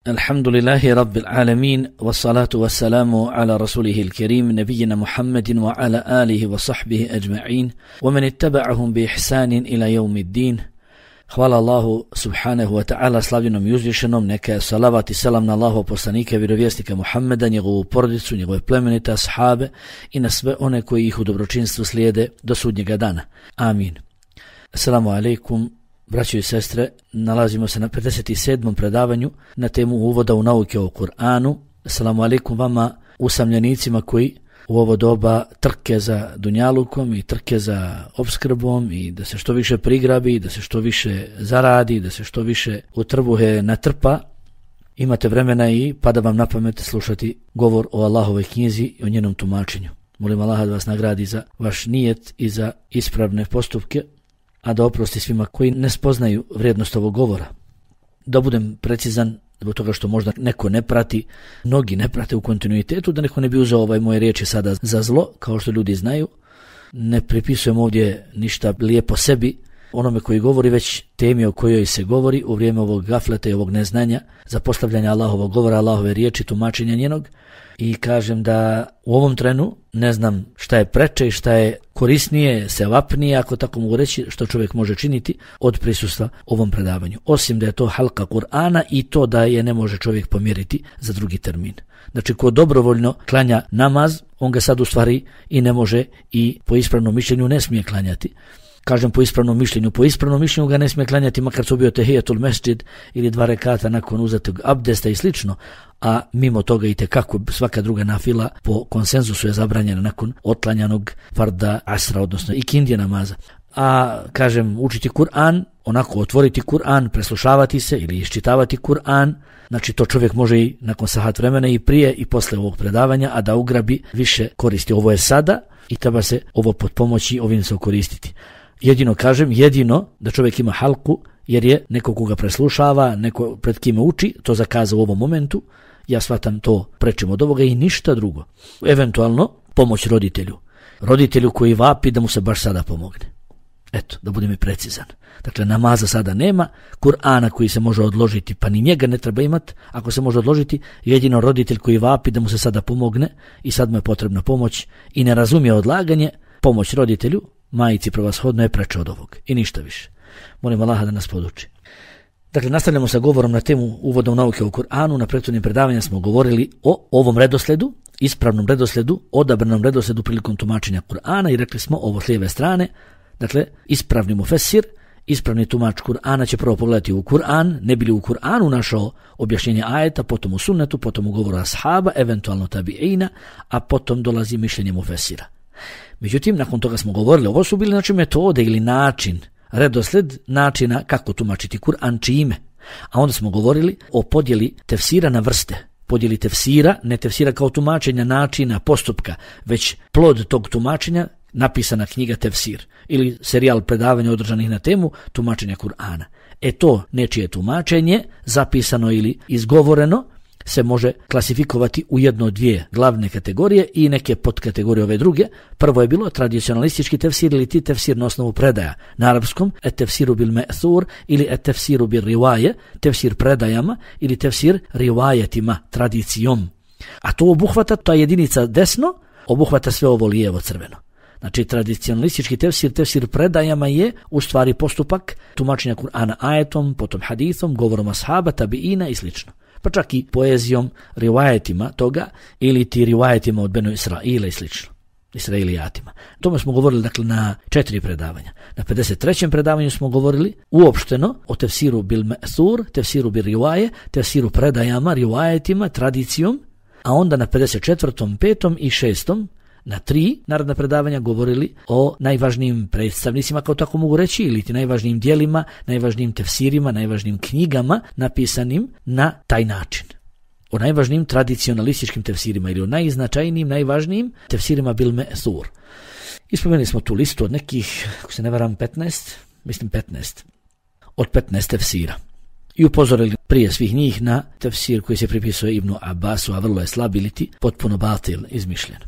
Alhamdulillahi Rabbil Alamin, wassalatu wassalamu ala rasulihil kerim, nabijina Muhammedin wa ala alihi wa sahbihi ajma'in, wa man ittaba'ahum bi ihsanin ila yawmiddin. Hvala Allahu subhanahu wa ta'ala, slavljenom i uzvišenom, neka je salavat i selam na Allahov poslanika i vjerovjesnika Muhammeda, njegovu porodicu, njegove plemenite ashabe i na sve one koji ih u dobročinstvu slijede do sudnjega dana. Amin. Assalamu alaikum, braćo i sestre, nalazimo se na 57. predavanju na temu uvoda u nauke o Kur'anu. Assalamu alaikum vama usamljenicima koji u ovo doba trke za dunjalukom i trke za opskrbom i da se što više prigrabi, da se što više zaradi, da se što više u trbuhe natrpa. Imate vremena i pada vam na pamet slušati govor o Allahovoj knjizi i o njenom tumačenju. Molim Allaha da vas nagradi za vaš nijet i za ispravne postupke, a da oprosti svima koji ne spoznaju vrijednost ovog govora. Da budem precizan, zbog toga što možda neko ne prati, mnogi ne prate u kontinuitetu, da neko ne bi uzeo moje riječi sada za zlo, kao što ljudi znaju. Ne pripisujem ovdje ništa lijepo sebi, onome koji govori, već temi o kojoj se govori u vrijeme ovog gafleta i ovog neznanja, za postavljanje Allahovog govora, Allahove riječi, tumačenja njenog. I kažem da u ovom trenu ne znam šta je preče i šta je korisnije, sevapnije, ako tako mogu reći, što čovjek može činiti od prisustva ovom predavanju. Osim da je to halka Kur'ana i to da je ne može čovjek pomjeriti za drugi termin. Znači, ko dobrovoljno klanja namaz, on ga sad u stvari i ne može i po ispravnom mišljenju ne smije klanjati. Kažem po ispravnom mišljenju ga ne smije klanjati makar su bio tehijetul mesdžid ili 2 rekata nakon uzetog abdesta i slično, a mimo toga i tekako svaka druga nafila po konsenzusu je zabranjena nakon otlanjanog farda asra, odnosno ikindije namaza. A kažem, učiti Kur'an, onako otvoriti Kur'an, preslušavati se ili iščitavati Kur'an, znači to čovjek može i nakon sahat vremena i prije i posle ovog predavanja, a da ugrabi više koristi. Ovo je sada i treba se ovo pod pomoći ovim se koristiti. Jedino da čovjek ima halku, jer je neko koga preslušava, neko pred kime uči, to zakaza u ovom momentu, ja shvatam to prečim od ovoga i ništa drugo. Eventualno pomoć roditelju koji vapi da mu se baš sada pomogne. Eto, da budem i precizan. Dakle, namaza sada nema, Kur'ana koji se može odložiti, pa ni njega ne treba imati, ako se može odložiti, jedino roditelj koji vapi da mu se sada pomogne i sad mu je potrebna pomoć i ne razumije odlaganje, pomoć roditelju, majici prevashodno je preče od ovog i ništa više. Molim Allaha da nas poduči. Dakle, nastavljamo sa govorom na temu uvoda u nauke o Kur'anu. Na prethodnim predavanjima smo govorili o ovom redosledu, ispravnom redosledu, odabranom redosledu prilikom tumačenja Kur'ana i rekli smo ovo s lijeve strane. Dakle, ispravni mufesir, ispravni tumač Kur'ana će prvo pogledati u Kur'an, ne bi li u Kur'anu našao objašnjenje ajeta, potom u sunnetu, potom u govoru ashaba, eventualno tabiina, a potom dolazi mišljenje mufesira. Međutim, nakon toga smo govorili, ovo su bili znači metode ili način, redosled načina kako tumačiti Kur'an čime. A onda smo govorili o podjeli tefsira na vrste. Podjeli tefsira, ne tefsira kao tumačenja načina, postupka, već plod tog tumačenja, napisana knjiga tefsir ili serijal predavanja održanih na temu tumačenja Kur'ana. To nečije tumačenje, zapisano ili izgovoreno, se može klasifikovati u jedno od 2 glavne kategorije i neke podkategorije ove druge. Prvo je bilo tradicionalistički tefsir ili ti tefsir na osnovu predaja. Na arapskom et-tefsiru bil me'thur ili et-tefsiru bil rivaje, tefsir predajama ili tefsir rivajetima, tradicijom. A to obuhvata, ta jedinica desno, obuhvata sve ovo lijevo crveno. Znači, tradicionalistički tefsir predajama je u stvari postupak tumačenja Kur'ana ajetom, potom hadithom, govorom ashaba, tabiina i slično. Pa čak i poezijom, rivajetima toga ili ti rivajetima od Benu Israila i slično, Israilijatima. O tome smo govorili dakle na 4 predavanja. Na 53. predavanju smo govorili uopšteno o tefsiru bil me'thur, tefsiru bil rivaje, tefsiru predajama, rivajetima, tradicijom, a onda na 54., 5. i 6. na 3 naredna predavanja govorili o najvažnijim predstavnicima, kao tako mogu reći, ili ti najvažnijim dijelima, najvažnijim tefsirima, najvažnijim knjigama napisanim na taj način. O najvažnijim tradicionalističkim tefsirima ili o najznačajnijim, najvažnijim tefsirima bil me'thur. Ispomenuli smo tu listu od nekih, ako se ne varam, 15, mislim 15, od 15 tefsira. I upozorili prije svih njih na tefsir koji se pripisuje Ibnu Abbasu, a vrlo je slab ili ti potpuno batil, izmišljen.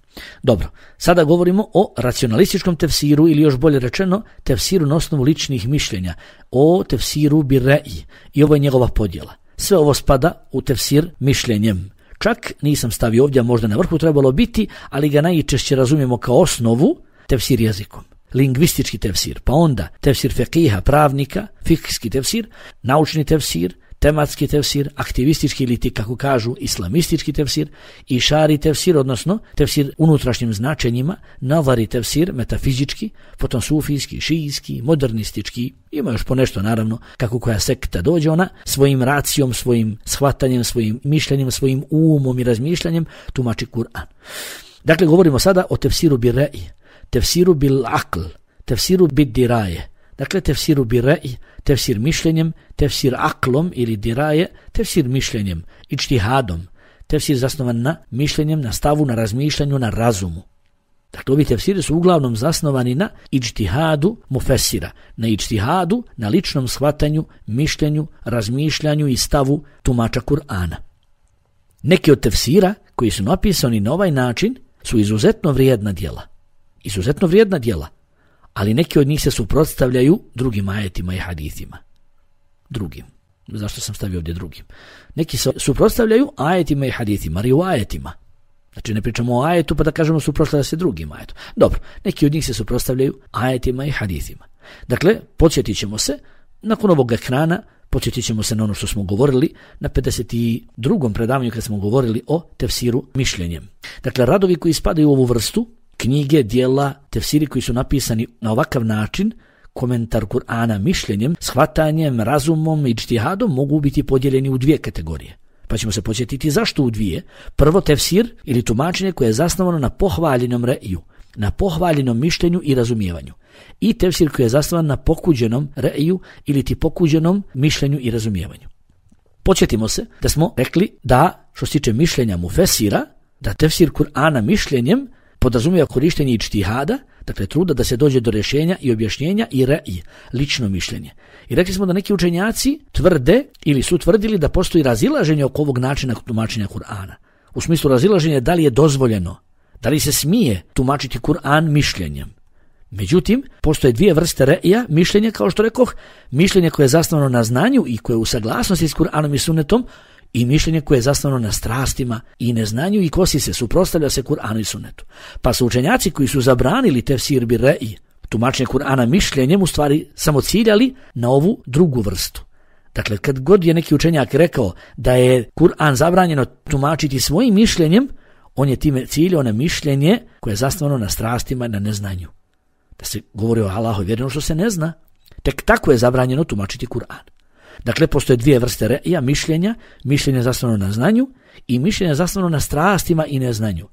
Dobro, sada govorimo o racionalističkom tefsiru ili još bolje rečeno tefsiru na osnovu ličnih mišljenja, o tefsiru bi re'i i ovo je njegova podjela. sve ovo spada u tefsir mišljenjem. Čak nisam stavio ovdje, možda na vrhu trebalo biti, ali ga najčešće razumijemo kao osnovu tefsir jezikom. Lingvistički tefsir, pa onda tefsir fekiha, pravnika, fikski tefsir, naučni tefsir, tematski tefsir, aktivistički ili ti kako kažu islamistički tefsir, išari tefsir, odnosno tefsir unutrašnjim značenjima, navari tefsir, metafizički, potom sufijski, šijski, modernistički, ima još ponešto naravno kako koja sekta dođe, ona svojim racijom, svojim shvatanjem, svojim mišljenjem, svojim umom i razmišljanjem tumači Kur'an. Dakle, govorimo sada o tefsiru bil ra'i, tefsiru bil aql, tefsiru bil diraje. Dakle, tefsiru bil ra'i, tefsir mišljenjem, tefsir aklom ili diraje, tefsir mišljenjem, ičtihadom, tefsir zasnovan na mišljenjem, na stavu, na razmišljanju, na razumu. Dakle, ovi tefsiri su uglavnom zasnovani na ičtihadu mufesira, na ičtihadu, na ličnom shvatanju, mišljenju, razmišljanju i stavu tumača Kur'ana. Neki od tefsira koji su napisani na ovaj način su izuzetno vrijedna djela, ali neki od njih se suprotstavljaju drugim ajetima i hadithima. Drugim. Zašto sam stavio ovdje drugim? Neki se suprotstavljaju ajetima i hadithima, rivajetima. Znači ne pričamo o ajetu pa da kažemo suprotstavlja se drugim ajetom. Dobro, neki od njih se suprotstavljaju ajetima i hadithima. Dakle, podsjetit ćemo se, nakon ovog ekrana, podsjetit ćemo se na ono što smo govorili na 52. predavanju kad smo govorili o tefsiru mišljenjem. Dakle, radovi koji spadaju u ovu vrstu, knjige, dijela, tefsiri koji su napisani na ovakav način, komentar Kur'ana mišljenjem, shvatanjem, razumom i ičtihadom mogu biti podijeljeni u dvije kategorije. Pa ćemo se podsjetiti zašto u dvije. Prvo, tefsir ili tumačenje koje je zasnovano na pohvaljenom re'iju, na pohvaljenom mišljenju i razumijevanju. I tefsir koji je zasnovan na pokuđenom re'iju ili ti pokuđenom mišljenju i razumijevanju. Podsjetimo se da smo rekli da, što se tiče mišljenja mufesira, da tefsir Kur'ana mišljenjem podrazumijeva korištenje ičtihada, dakle truda da se dođe do rješenja i objašnjenja i re'i, lično mišljenje. I rekli smo da neki učenjaci tvrde ili su tvrdili da postoji razilaženje oko ovog načina tumačenja Kur'ana. U smislu razilaženja da li je dozvoljeno, da li se smije tumačiti Kur'an mišljenjem. Međutim, postoje dvije vrste re'ija, mišljenje, kao što rekoh, mišljenje koje je zasnovano na znanju i koje je u saglasnosti s Kur'anom i sunnetom, i mišljenje koje je zasnovano na strastima i neznanju i kosi se, suprotstavlja se Kur'anu i sunnetu. Pa su učenjaci koji su zabranili tefsir bil ra'i, tumačenje Kur'ana mišljenjem, u stvari samo ciljali na ovu drugu vrstu. Dakle, kad god je neki učenjak rekao da je Kur'an zabranjeno tumačiti svojim mišljenjem, on je time ciljao na mišljenje koje je zasnovano na strastima i na neznanju. Da se govori o Allahu vjeri, ono što se ne zna, tek tako je zabranjeno tumačiti Kur'an. Dakle, postoje dvije vrste re'ija, mišljenje zasnovano na znanju i mišljenje zasnovano na strastima i neznanju.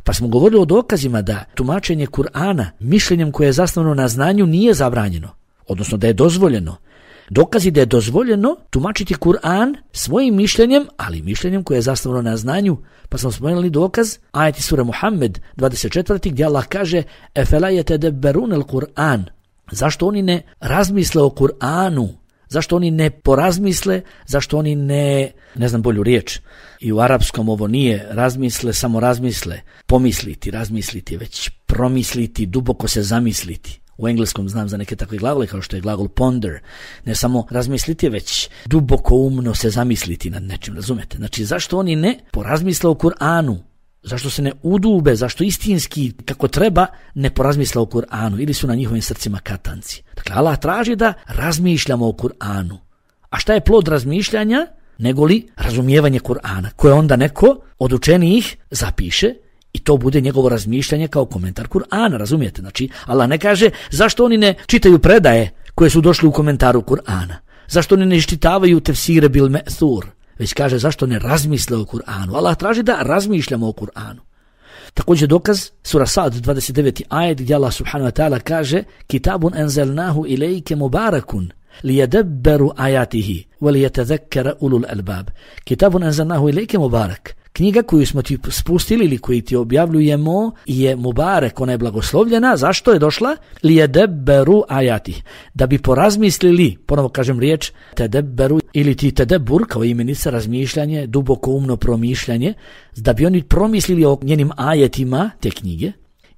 Pa smo govorili o dokazima da tumačenje Kur'ana mišljenjem koje je zasnovano na znanju nije zabranjeno, odnosno da je dozvoljeno. Dokazi da je dozvoljeno tumačiti Kur'an svojim mišljenjem, ali mišljenjem koje je zasnovano na znanju. Pa smo spomenuli dokaz ajeti sure Muhammed 24. gdje Allah kaže efela yetedebberun al-Kur'an. Zašto oni ne razmisle o Kur'anu? Zašto oni ne porazmisle, zašto oni ne znam bolju riječ. I u arapskom ovo nije razmisle, samo razmisle, pomisliti, razmisliti, već promisliti, duboko se zamisliti. U engleskom znam za neke takve glagole kao što je glagol ponder. Ne samo razmisliti, već duboko umno se zamisliti nad nečim, razumete? Znači, zašto oni ne porazmisle o Kur'anu? Zašto se ne udube, zašto istinski, kako treba, ne porazmisle o Kur'anu ili su na njihovim srcima katanci? Dakle, Allah traži da razmišljamo o Kur'anu. A šta je plod razmišljanja? Negoli razumijevanje Kur'ana, koje onda neko od učenijih zapiše i to bude njegovo razmišljanje kao komentar Kur'ana, razumijete? Znači, Allah ne kaže zašto oni ne čitaju predaje koje su došli u komentaru Kur'ana. Zašto oni ne iščitavaju tefsire bil me'thur, već kaže zašto ne razmisle o Kur'anu. Allah traži da razmišljamo o Kur'anu. Također dokaz, sura Sad 29. ajet gdje Allah subhanahu wa ta'ala kaže kitabun enzelnahu ilejke mubarakun lijadebberu ajatihi velijetezekera ulul albab. Kitabun enzelnahu ilejke mubarak. Knjiga koju smo ti spustili ili koju ti objavljujemo je mubarek, ona je blagoslovljena. Zašto je došla? Lijadebberu ajatih. Da bi porazmislili, ponovo kažem riječ, tedebberu ili ti tedebbur kao imenica, razmišljanje, duboko umno promišljanje, da bi oni promislili o njenim ajetima te knjige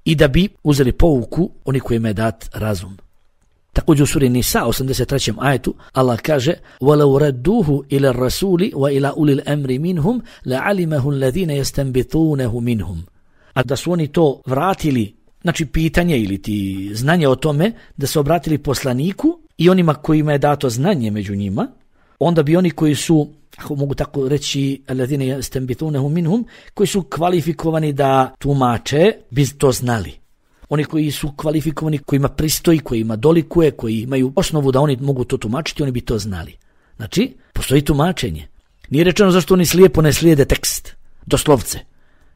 i da bi uzeli pouku oni kojima je dat razum. Također u suri Nisa 83. ajetu Allah kaže وَلَوْ رَدُّوهُ إِلَى الرَّسُولِ وَإِلَى أُولِي الْأَمْرِ مِنْهُمْ لَعَلِمَهُ الَّذِينَ يَسْتَنبِطُونَهُ مِنْهُمْ. A da su oni to vratili, znači pitanje ili ti znanje o tome, da se obratili poslaniku i onima kojima je dato znanje među njima, onda bi oni koji su, ako mogu tako reći, الَّذِينَ يَسْتَنبِطُونَهُ مِنْهُمْ, koji su kvalifikovani da tumače, bi to znali. Oni koji su kvalifikovani, kojima pristoji, kojima dolikuje, koji imaju osnovu da oni mogu to tumačiti, oni bi to znali. Znači, postoji tumačenje. Nije rečeno zašto oni slijepo ne slijede tekst, doslovce.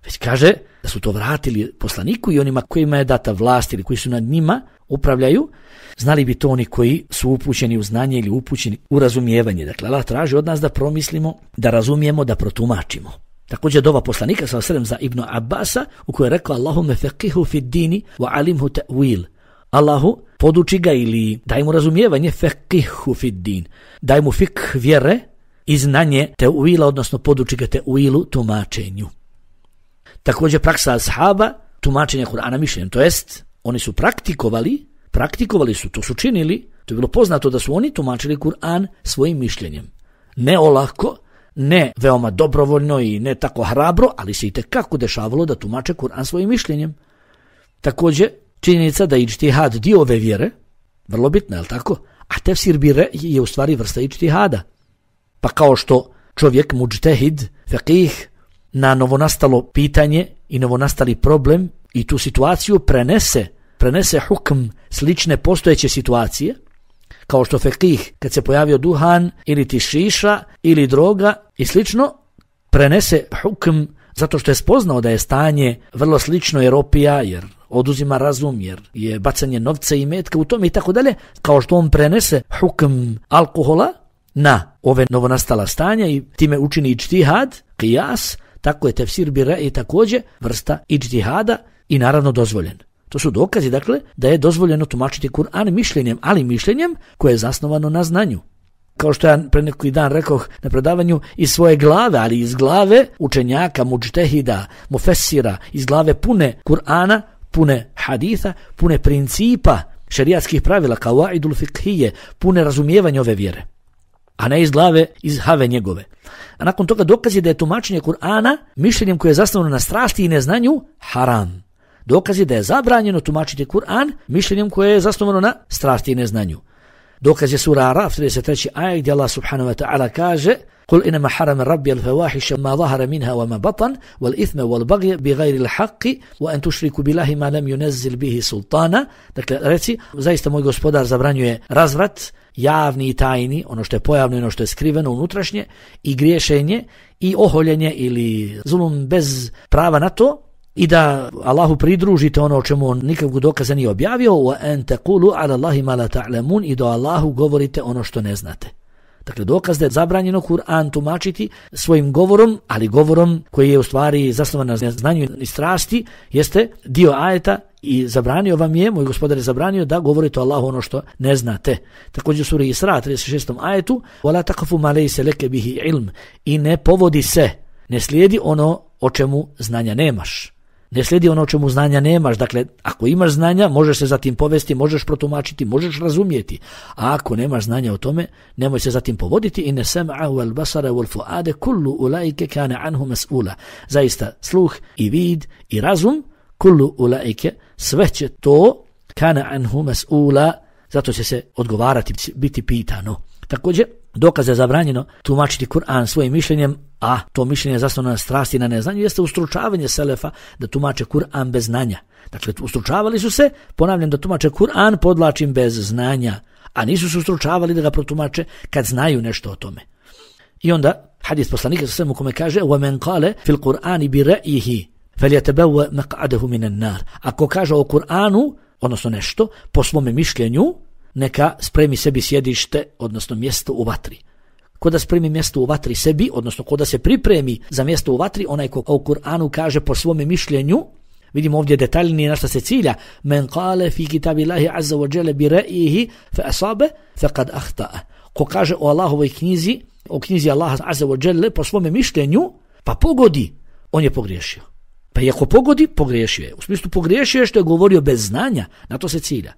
Već kaže da su to vratili poslaniku i onima kojima je data vlast ili koji su nad njima upravljaju, znali bi to oni koji su upućeni u znanje ili upućeni u razumijevanje. Dakle, Allah traži od nas da promislimo, da razumijemo, da protumačimo. Također dova poslanika s.a.v. za Ibn Abbasa u kojoj je rekao Allahume feqihu fid dini wa alimhu ta'wil. Allahu, poduči ga ili daj mu razumijevanje, feqihu fid din. Daj mu fik vjere i znanje ta'wila, odnosno poduči ga ta'wilu, tumačenju. Također praksa ashaba, tumačenja Kur'ana mišljenjem, to jest oni su praktikovali su, to su činili, to je bilo poznato da su oni tumačili Kur'an svojim mišljenjem. Ne olako, ne veoma dobrovoljno i ne tako hrabro, ali se i tekako dešavalo da tumače Kur'an svojim mišljenjem. Također, činjenica da je iđtihad dio ove vjere, vrlo bitna, je li tako? A tefsir bire je u stvari vrsta iđtihada. Pa kao što čovjek, muđtehid, faqih, na novonastalo pitanje i novonastali problem i tu situaciju prenese hukm slične postojeće situacije, kao što faqih kad se pojavio duhan ili ti šiša ili droga i slično, prenese hukm zato što je spoznao da je stanje vrlo slično jer opija, jer oduzima razum, jer je bacanje novca i metka u tome i tako dalje, kao što on prenese hukm alkohola na ove novonastala stanja i time učini iđtihad, qiyas, tako je tefsir bire i također vrsta iđtihada i naravno dozvoljen. To su dokazi, dakle, da je dozvoljeno tumačiti Kur'an mišljenjem, ali mišljenjem koje je zasnovano na znanju. Kao što ja pre neki dan rekoh na predavanju, iz svoje glave, ali iz glave učenjaka, muđtehida, mufessira, iz glave pune Kur'ana, pune haditha, pune principa, šerijatskih pravila, kawaidul fiqhije, pune razumijevanja ove vjere, a ne iz glave, iz have njegove. A nakon toga dokaz je da je tumačenje Kur'ana mišljenjem koje je zasnovano na strasti i neznanju haram. Dokaz je da je zabranjeno tumačiti Kur'an mišljenjem koje je zasnovano na strasti i neznanju. Dokaz je sura Araf 33. ajet gdje Allah subhanahu wa ta'ala kaže قُلْ إِنَمَا حَرَمَ رَبِّيَ الْفَوَاحِشَ مَا ظَهَرَ مِنْهَا وَمَا بَطَنَ وَالْإِثْمَ وَالْبَغْيَ بِغَيْرِ الْحَقِّ وَأَنْ تُشْرِكُوا بِاللَّهِ مَا لَمْ يُنَزِّلْ بِهِ سُلْطَانًا. Dakle, reci, zaista moj gospodar zabranjuje razvrat, javni i tajni, ono što je pojavno i ono što je skriveno unutrašnje, i griješenje i oholjenje ili zulum bez prava na to, i da Allahu pridružite ono o čemu on nikakvog dokaza nije objavio, وَأَنْ تَقُولُوا عَلَى اللَّهِ مَا لَا تَعْلَمُونَ, i do Allahu govorite ono što ne znate. Dakle, dokaz da je zabranjeno Kur'an tumačiti svojim govorom, ali govorom koji je u stvari zasnovan na znanju i strasti, jeste dio ajeta i zabranio vam je, moj gospodar je zabranio da govorite o Allahu ono što ne znate. Također u suri Isra 36. ajetu وَلَا تَقَفُ مَا لَيْسَ لَكَ بِهِ عِلْمٍ, i ne povodi se, ne slijedi ono o čemu znanja nemaš. Ne slijedi ono o čemu znanja nemaš. Dakle, ako imaš znanja, možeš se zatim povesti, možeš protumačiti, možeš razumijeti. A ako nemaš znanja o tome, nemoj se zatim povoditi. Inne sam'a wal basara wal fuade kullu ulaike kana anhu mas'ula. Zaista, sluh i vid i razum, kullu ulaike, sve će to kana anhu mas'ula, zato će se odgovarati, biti pitano. Također, dokaz je zabranjeno tumačiti Kur'an svojim mišljenjem, a to mišljenje zasnovano na strasti i na neznanju, jeste ustručavanje selefa da tumače Kur'an bez znanja. Dakle, ustručavali su se, ponavljam, da tumače Kur'an, podlačim, bez znanja, a nisu se ustručavali da ga protumače kad znaju nešto o tome. I onda, hadis poslanika sa svemu kome kaže وَمَنْ قَالَ فِي الْقُرْآنِ بِرَأِهِ فَلْيَتَبَوَّ مَقْعَدَهُ مِنَ النَّارِ. Ako kaže o Kur'anu, odnosno nešto, po svome mišljenju, neka spremi sebi sjedište, odnosno mjesto u vatri. Ko da spremi mjesto u vatri sebi, odnosno ko da se pripremi za mjesto u vatri, onaj ko u Kur'anu kaže po svome mišljenju, vidimo ovdje detaljnije na šta se cilja, men qale fi kitabillahi azza wa jalla bi ra'yihi fa asabe faqad akhta'a. Ko kaže o Allahovoj knjizi, o knjizi Allaha azza wa jalla po svome mišljenju, pa pogodi, on je pogriješio. Pa i ako pogodi, pogriješio je. U smislu pogriješio je što je govorio bez znanja, na to se cilja.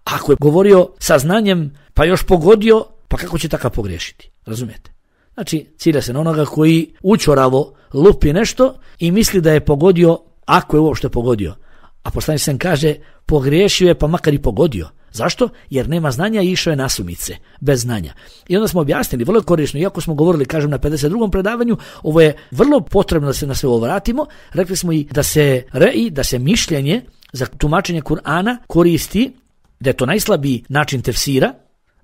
Ako je govorio sa znanjem, pa još pogodio, pa kako će takav pogriješiti? Razumijete? Znači, cilja se na onoga koji učoravo lupi nešto i misli da je pogodio, ako je uopšte pogodio. A poslanik sam kaže, pogriješio je pa makar i pogodio. Zašto? Jer nema znanja i išao je nasumice, bez znanja. I onda smo objasnili, vrlo korisno, iako smo govorili, kažem, na 52. predavanju, ovo je vrlo potrebno da se na sve ovo vratimo. Rekli smo i da se mišljenje za tumačenje Kur'ana koristi, da je to najslabiji način tefsira,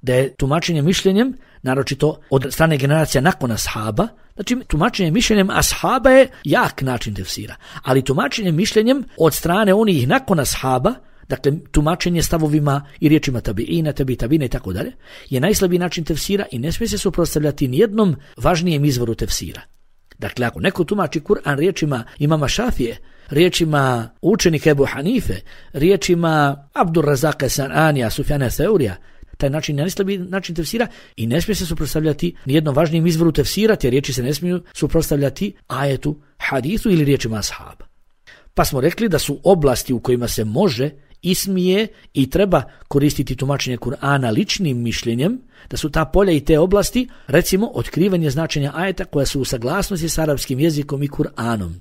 da je tumačenje mišljenjem, naročito od strane generacija nakon ashaba, znači tumačenje mišljenjem ashaba je jak način tefsira, ali tumačenje mišljenjem od strane onih nakon ashaba, dakle tumačenje stavovima i riječima tabiina, tabiina i tako dalje, je najslabiji način tefsira i ne smije se suprotstavljati nijednom važnijem izvoru tefsira. Dakle, ako neko tumači Kur'an riječima imama Šafije, riječima učenika Ebu Hanife, riječima Abdur Razaka Sananija, Sufjana Theurija, taj način je najslabiji način tefsira i ne smije se suprotstavljati nijednom važnijem izvoru tefsira, te riječi se ne smiju suprotstavljati ajetu, hadisu ili riječima ashaba. Pa smo rekli da su oblasti u kojima se može i smije i treba koristiti tumačenje Kur'ana ličnim mišljenjem, da su ta polja i te oblasti, recimo, otkrivanje značenja ajeta koja su u saglasnosti s arapskim jezikom i Kur'anom.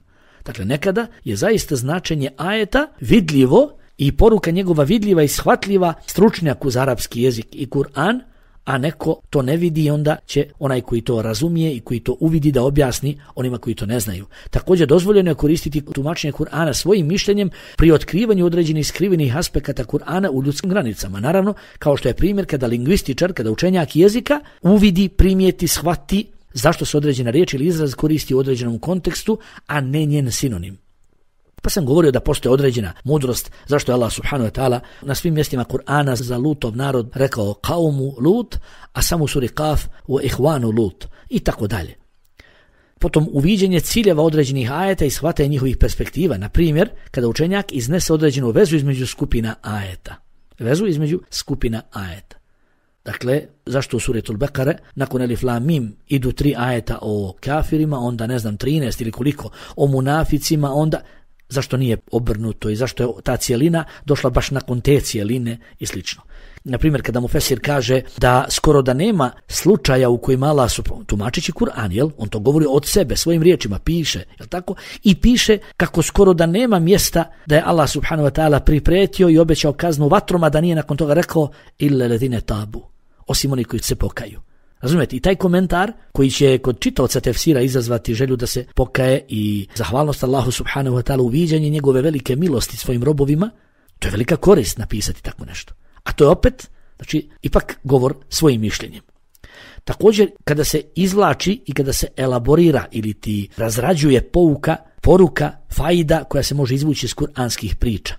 Dakle, nekada je zaista značenje ajeta vidljivo i poruka njegova vidljiva i shvatljiva stručnjaku za arapski jezik i Kur'an, a neko to ne vidi i onda će onaj koji to razumije i koji to uvidi da objasni onima koji to ne znaju. Također dozvoljeno je koristiti tumačenje Kur'ana svojim mišljenjem pri otkrivanju određenih skrivenih aspekata Kur'ana u ljudskim granicama. Naravno, kao što je primjer kada lingvističar, kada učenjak jezika uvidi, primijeti, shvati zašto se određena riječ ili izraz koristi u određenom kontekstu, a ne njen sinonim. Pa sam govorio da postoji određena mudrost zašto je Allah subhanahu wa ta'ala na svim mjestima Kur'ana za Lutov narod rekao kaumu Lut, a samo u suri Kaf u ihvanu Lut i tako dalje. Potom uviđenje ciljeva određenih ajeta i shvatanje njihovih perspektiva, na primjer kada učenjak iznese određenu vezu između skupina ajeta. Vezu između skupina ajeta. Dakle, zašto u suri Al-Bekare nakon Elif Lam Mim idu 3 ajeta o kafirima, onda 13 ili koliko o munaficima, onda zašto nije obrnuto i zašto je ta cijelina došla baš nakon te cijeline i slično. Naprimjer, kada mu Fesir kaže da skoro da nema slučaja u kojima Allah tumačići Kur'an, jel? On to govori od sebe, svojim riječima, piše, jel tako? I piše kako skoro da nema mjesta da je Allah subhanahu wa ta'ala pripretio i obećao kaznu vatroma, da nije nakon toga rekao illa ledine tabu, osim oni koji se pokaju. Razumijete? I taj komentar koji će kod čitaoca tefsira izazvati želju da se pokaje i zahvalnost Allahu subhanahu wa ta'ala, uviđanje njegove velike milosti svojim robovima, to je velika korist napisati tako nešto. A to je opet, znači, ipak govor svojim mišljenjem. Također, kada se izvlači i kada se elaborira ili ti razrađuje poruka, faida koja se može izvući iz kuranskih priča.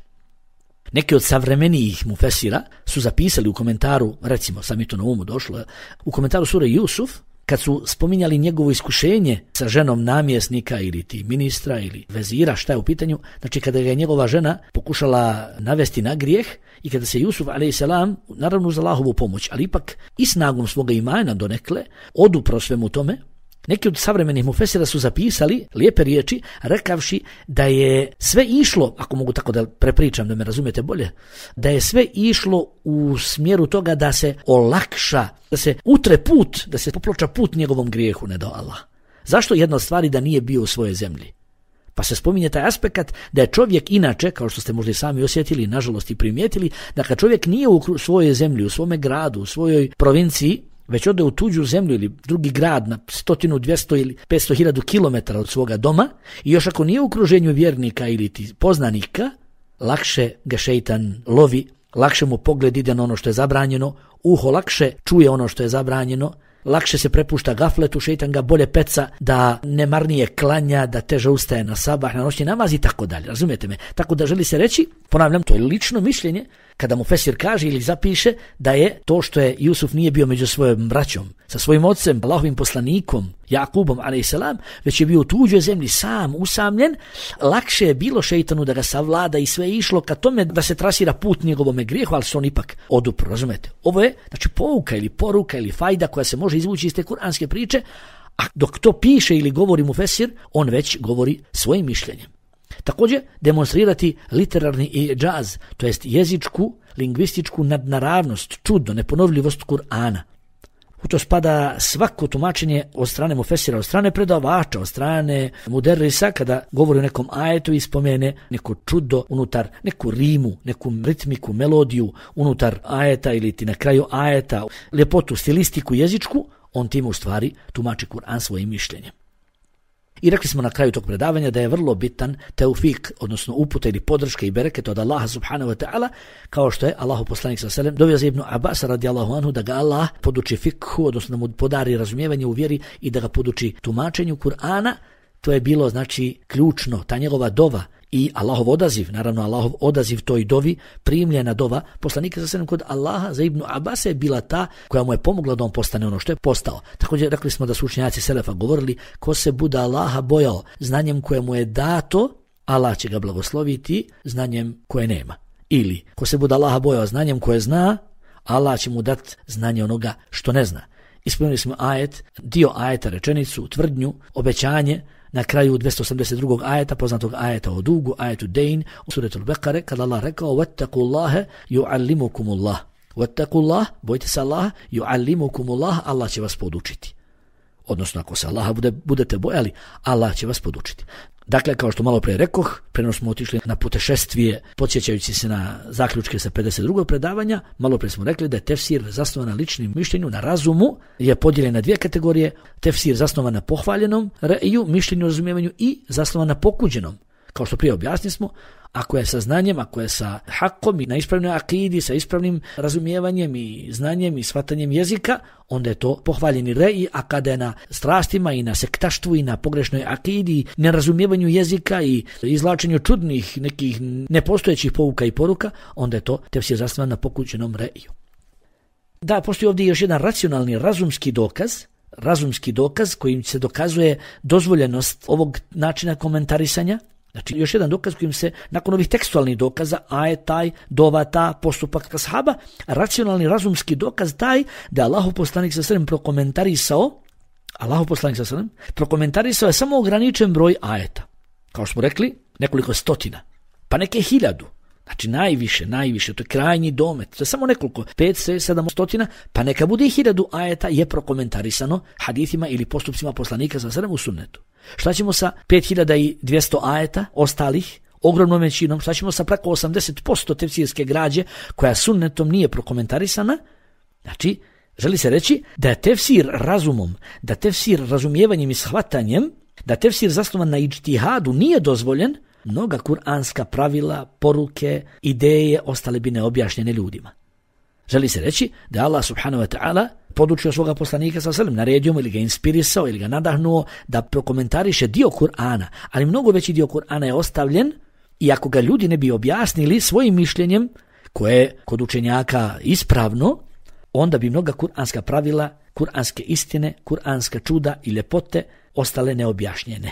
Neki od savremenijih mufesira su zapisali u komentaru, recimo, sam mi to na umu došlo, u komentaru sure Jusuf, kad su spominjali njegovo iskušenje sa ženom namjesnika ili ti ministra ili vezira, šta je u pitanju, znači kada ga je njegova žena pokušala navesti na grijeh i kada se Jusuf a.s. naravno uz Allahovu pomoć, ali ipak i snagom svoga imana donekle odupro svemu tome, neki od savremenih mufesira su zapisali lijepe riječi rekavši da je sve išlo, ako mogu tako da prepričam da me razumijete bolje, da je sve išlo u smjeru toga da se olakša, da se utre put, da se poploča put njegovom grijehu, ne do Allah. Zašto? Jedna od stvari da nije bio u svojoj zemlji. Pa se spominje taj aspekt da je čovjek inače, kao što ste možda i sami osjetili, nažalost i primijetili, da kad čovjek nije u svojoj zemlji, u svome gradu, u svojoj provinciji, već ode u tuđu zemlju ili drugi grad na 100, 200 ili 500.000 kilometara od svoga doma i još ako nije u okruženju vjernika ili poznanika, lakše ga šejtan lovi, lakše mu pogled ide na ono što je zabranjeno, uho lakše čuje ono što je zabranjeno, lakše se prepušta gafletu, šejtan ga bolje peca da nemarnije klanja, da teže ustaje na sabah, na noćni namaz i tako dalje. Razumijete me? Tako da želi se reći, ponavljam, to je lično mišljenje, kada mu Fesir kaže ili zapiše da je to što je Jusuf nije bio među svojom braćom, sa svojim ocem, Allahovim poslanikom, Jakubom a.s., već je bio u tuđoj zemlji sam, usamljen, lakše je bilo šejtanu da ga savlada i sve išlo ka tome da se trasira put njegovome grijehu, ali se on ipak odupro, razumete? Ovo je, znači, pouka ili poruka ili fajda koja se može izvući iz te kuranske priče, a dok to piše ili govori mu Fesir, on već govori svojim mišljenjem. Također, demonstrirati literarni i džaz, to jest jezičku, lingvističku nadnaravnost, čudo, neponovljivost Kur'ana. U to spada svako tumačenje od strane mufesira, od strane predavača, od strane muderrisa, kada govori o nekom ajetu i spomene neko čudo unutar, neku rimu, neku ritmiku, melodiju unutar ajeta ili ti na kraju ajeta, ljepotu, stilistiku jezičku, on tim u stvari tumači Kur'an svojim mišljenjem. I rekli smo na kraju tog predavanja da je vrlo bitan teufik, odnosno uputa ili podrška i bereket od Allaha subhanahu wa ta'ala, kao što je Allahu poslanik sallallahu alejhi ve sellem dovio za Ibnu Abasa radijallahu anhu da ga Allah poduči fikhu, odnosno da mu podari razumijevanje u vjeri i da ga poduči tumačenju Kur'ana. To je bilo znači ključno, ta njegova dova i Allahov odaziv, naravno Allahov odaziv toj dovi, primljena dova poslanika sallallahu kod Allaha za Ibnu Abasa je bila ta koja mu je pomogla da on postane ono što je postao. Također rekli smo da su učenjaci selefa govorili, ko se bude Allaha bojao znanjem koje mu je dato, Allah će ga blagosloviti znanjem koje nema. Ili ko se bude Allaha bojao znanjem koje zna, Allah će mu dati znanje onoga što ne zna. Ispunili smo ajet, dio ajeta, rečenicu, tvrdnju, obećanje na kraju 282. ajeta, poznatog ajeta o dugu, ajetu Dejn, u suretu Al-Bekare, kada Allah rekao وَاتَّقُوا يُعَلِّمُكُمُ اللَّهِ وَاتَّقُوا اللَّهِ, bojite se Allah, يُعَلِّمُكُمُ اللَّهِ, Allah će vas podučiti. Odnosno, ako se Allaha budete bojali, Allah će vas podučiti. Dakle, kao što malo prije rekoh, preno smo otišli na putešestvije, podsjećajući se na zaključke sa 52. predavanja, malo prije smo rekli da je tefsir zasnovan na ličnim mišljenju, na razumu, je podijeljen na dvije kategorije, tefsir zasnovan na pohvaljenom re'iju, mišljenju, razumijevanju i zasnovan na pokuđenom. Kao što prije objasnili smo, ako je sa znanjem, ako je sa hakom i na ispravnoj akidi, sa ispravnim razumijevanjem i znanjem i shvatanjem jezika, onda je to pohvaljeni re'i, a kada je na strastima i na sektaštvu i na pogrešnoj akidi, nerazumijevanju jezika i izvlačenju čudnih nekih nepostojećih pouka i poruka, onda je to tefsir zasnovan na pokuđenom re'iju. Da, postoji ovdje još jedan racionalni, razumski dokaz kojim se dokazuje dozvoljenost ovog načina komentarisanja. Znači, još jedan dokaz kojim se, nakon ovih tekstualnih dokaza, ajet taj, dova ta, postupak ashaba, racionalni, razumski dokaz taj da Allahov poslanik sallallahu alejhi ve sellem prokomentarisao je samo ograničen broj ajeta. Kao što smo rekli, nekoliko stotina, pa neke 1000. Znači najviše, to je krajnji domet, to je samo nekoliko, 5, 7 stotina, pa neka bude 1000 ajeta je prokomentarisano hadithima ili postupcima poslanika sallallahu alejhi ve sellem u sunnetu. Šta ćemo sa 5200 ajeta ostalih, ogromnom većinom, šta ćemo sa preko 80% tefsirske građe koja sunnetom nije prokomentarisana? Znači, želi se reći da je tefsir razumom, da tefsir razumijevanjem i shvatanjem, da tefsir zasnovan na ijtihadu nije dozvoljen, mnoga kuranska pravila, poruke, ideje ostale bi neobjašnjene ljudima. Želi se reći da Allah subhanahu wa ta'ala podučio svoga poslanika sallallahu alejhi ve sellem, naredio mu ili ga inspirisao ili ga nadahnuo da prokomentariše dio Kur'ana, ali mnogo veći dio Kur'ana je ostavljen i ako ga ljudi ne bi objasnili svojim mišljenjem, koje je kod učenjaka ispravno, onda bi mnoga kuranska pravila, kuranske istine, kuranska čuda i ljepote ostale neobjašnjene.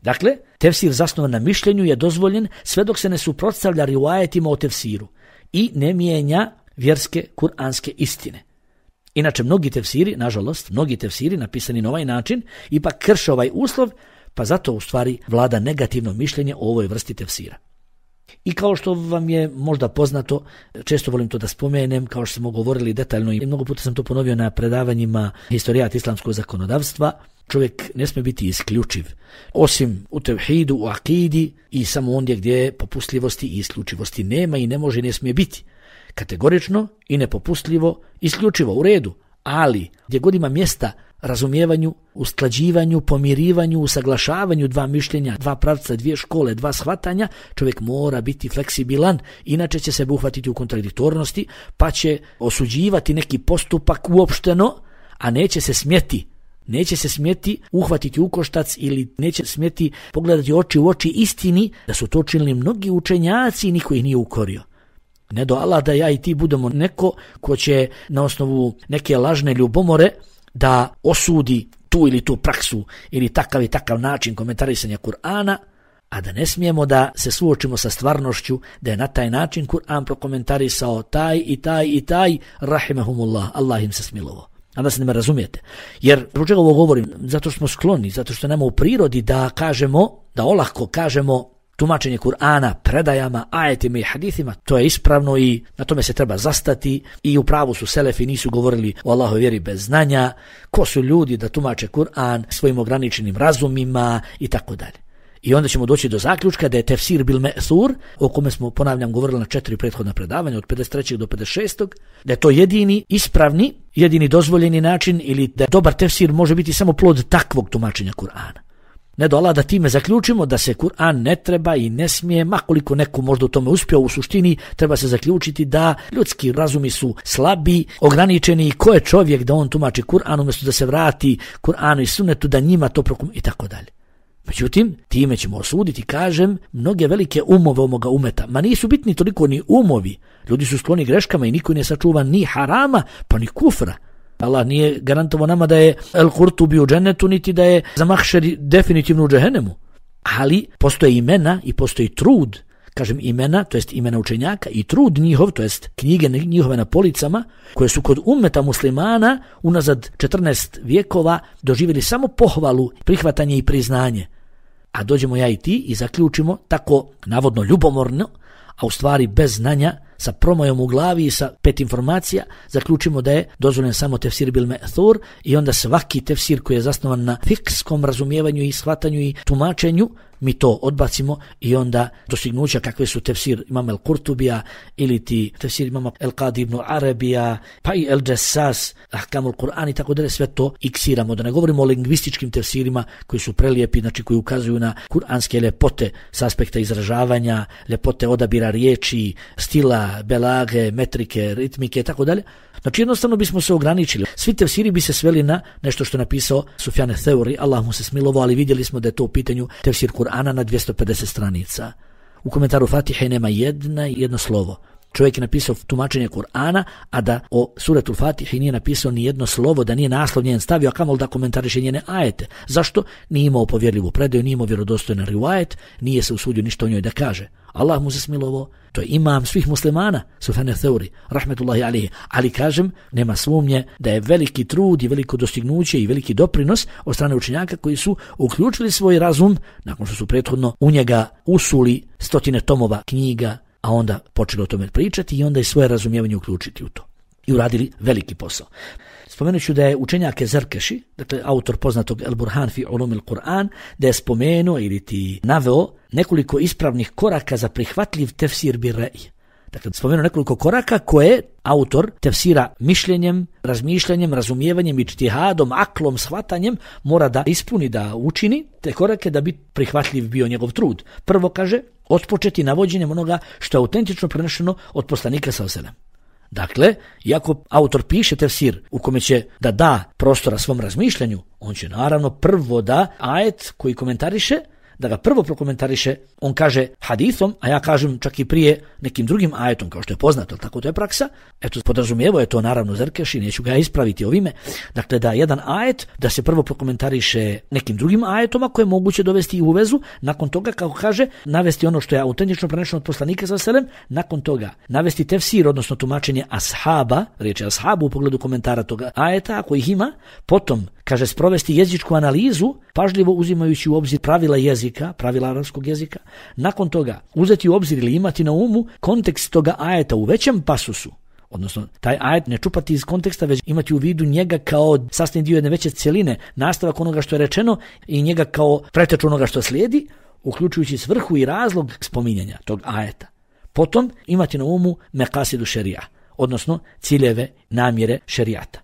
Dakle, tefsir zasnovan na mišljenju je dozvoljen sve dok se ne suprotstavlja rivajetima o tefsiru i ne mijenja vjerske kuranske istine. Inače, mnogi tefsiri napisani na ovaj način ipak krše ovaj uslov, pa zato u stvari vlada negativno mišljenje o ovoj vrsti tefsira. I kao što vam je možda poznato, često volim to da spomenem, kao što smo govorili detaljno i mnogo puta sam to ponovio na predavanjima historijat islamskog zakonodavstva, čovjek ne smije biti isključiv, osim u tevhidu, u akidi i samo ondje gdje popustljivosti i isključivosti nema i ne može i ne smije biti. Kategorično i nepopustljivo, isključivo, u redu, ali gdje god ima mjesta razumijevanju, usklađivanju, pomirivanju, usaglašavanju dva mišljenja, dva pravca, dvije škole, dva shvatanja, čovjek mora biti fleksibilan, inače će se uhvatiti u kontradiktornosti, pa će osuđivati neki postupak uopšteno, a neće se smjeti uhvatiti u koštac ili neće smjeti pogledati oči u oči istini da su to činili mnogi učenjaci i niko ih nije ukorio. Ne do Allah da ja i ti budemo neko ko će na osnovu neke lažne ljubomore da osudi tu ili tu praksu ili takav i takav način komentarisanja Kur'ana, a da ne smijemo da se suočimo sa stvarnošću da je na taj način Kur'an prokomentarisao taj i taj, rahimahumullah, Allah im se smilovao. A da se ne me razumijete. Jer, zbog čega ovo govorim? Zato što smo skloni, zato što nema u prirodi da kažemo, da olahko kažemo tumačenje Kur'ana predajama, ajetima i hadithima, to je ispravno i na tome se treba zastati i u pravu su selefi, nisu govorili o Allahovoj vjeri bez znanja, ko su ljudi da tumače Kur'an svojim ograničenim razumima i tako dalje. I onda ćemo doći do zaključka da je tefsir bil me'thur, o kome smo, ponavljam, govorili na 4 prethodna predavanja, od 53. do 56. da je to jedini ispravni, jedini dozvoljeni način ili da dobar tefsir može biti samo plod takvog tumačenja Kur'ana. Ne do Allah da time zaključimo da se Kur'an ne treba i ne smije, makoliko neko možda u tome uspio, u suštini treba se zaključiti da ljudski razumi su slabi, ograničeni, ko je čovjek da on tumači Kur'an umjesto da se vrati Kur'anu i sunnetu, da njima to i tako dalje. Međutim, time ćemo osuditi, kažem, mnoge velike umove ovoga umeta. Ma nisu bitni toliko ni umovi. Ljudi su skloni greškama i niko ne sačuva ni harama, pa ni kufra. Allah nije garantovao nama da je El-Kurtubi u džennetu, niti da je za mahšer definitivno u džehennemu. Ali postoje imena i postoji trud. Kažem imena, to jest imena učenjaka i trud njihov, to jest knjige njihove na policama, koje su kod ummeta muslimana unazad 14 vjekova doživjeli samo pohvalu, prihvatanje i priznanje. A dođemo ja i ti i zaključimo tako navodno ljubomorno, a u stvari bez znanja, sa promojom u glavi i sa 5 informacija, zaključimo da je dozvoljen samo tefsir bil me'thur i onda svaki tefsir koji je zasnovan na fikskom razumijevanju i shvatanju i tumačenju, mi to odbacimo i onda dostignuća kakve su tefsir imama El-Kurtubija ili ti tefsir imama El-Qadi ibn Arabija, pa i El-Jassas, Ahkamul Kur'an i tako dalje, sve to iksiramo. Da ne govorimo o lingvističkim tefsirima koji su prelijepi, znači koji ukazuju na kuranske ljepote s aspekta izražavanja, ljepote odabira riječi, stila, belage, metrike, ritmike i tako dalje. Znači jednostavno bismo se ograničili. Svi tefsiri bi se sveli na nešto što je napisao Sufjan Theuri, Allah mu se smilovao, ali vidjeli smo da je to u pitanju tefsir Kur'ana na 250 stranica. U komentaru Fatihe nema jedno slovo. Čovjek je napisao tumačenje Kur'ana, a da o suretul Fatihi nije napisao ni jedno slovo, da nije naslov njen stavio, a kamol da komentariše njene ajete. Zašto? Nije imao povjerljivu predaju, nije imao vjerodostojan rivajet, nije se usudio ništa o njoj da kaže. Allah mu se smilovao, to je imam svih muslimana, Sufjan Theuri, rahmetullahi alihi. Ali kažem, nema sumnje da je veliki trud i veliko dostignuće i veliki doprinos od strane učenjaka koji su uključili svoj razum, nakon što su prethodno u njega usuli 100 tomova knjiga, a onda počeli o tome pričati i onda i svoje razumijevanje uključiti u to. I uradili veliki posao. Spomenut ću da je učenjak Zarkeši, dakle autor poznatog El Burhan fi ulumil Kur'an, da je spomenuo ili ti naveo nekoliko ispravnih koraka za prihvatljiv tefsir bir ra'y. Dakle, spomenuo nekoliko koraka koje autor tefsira mišljenjem, razmišljanjem, razumijevanjem, ijtihadom, aklom, shvatanjem mora da ispuni, da učini te korake da bi prihvatljiv bio njegov trud. Prvo kaže, otpočeti navođenjem onoga što je autentično prenešeno od poslanika sallallahu alejhi ve sellem. Dakle, iako autor piše tefsir u kome će da da prostora svom razmišljanju, on će naravno prvo da ajet koji komentariše, da ga prvo prokomentariše, on kaže hadithom, a ja kažem čak i prije nekim drugim ajetom, kao što je poznato, tako to je praksa. Eto, podrazumijevo je to naravno Zarkeši, neću ga ispraviti ovime. Dakle, da jedan ajet, da se prvo prokomentariše nekim drugim ajetom, koje je moguće dovesti u vezu, nakon toga, kako kaže, navesti ono što je autentično prenešeno od poslanika sallallahu alejhi ve sellem, nakon toga navesti tefsir, odnosno tumačenje ashaba, riječ je ashabu u pogledu komentara toga ajeta, ako ih ima, potom kaže sprovesti jezičku analizu, pažljivo uzimajući u obzir pravila jezika, pravila arapskog jezika. Nakon toga uzeti u obzir ili imati na umu kontekst toga ajeta u većem pasusu, odnosno taj ajet ne čupati iz konteksta, već imati u vidu njega kao sastavni dio jedne veće cjeline, nastavak onoga što je rečeno i njega kao preteču onoga što slijedi, uključujući svrhu i razlog spominjanja tog ajeta. Potom imati na umu mekasidu šerija, odnosno ciljeve, namjere šerijata.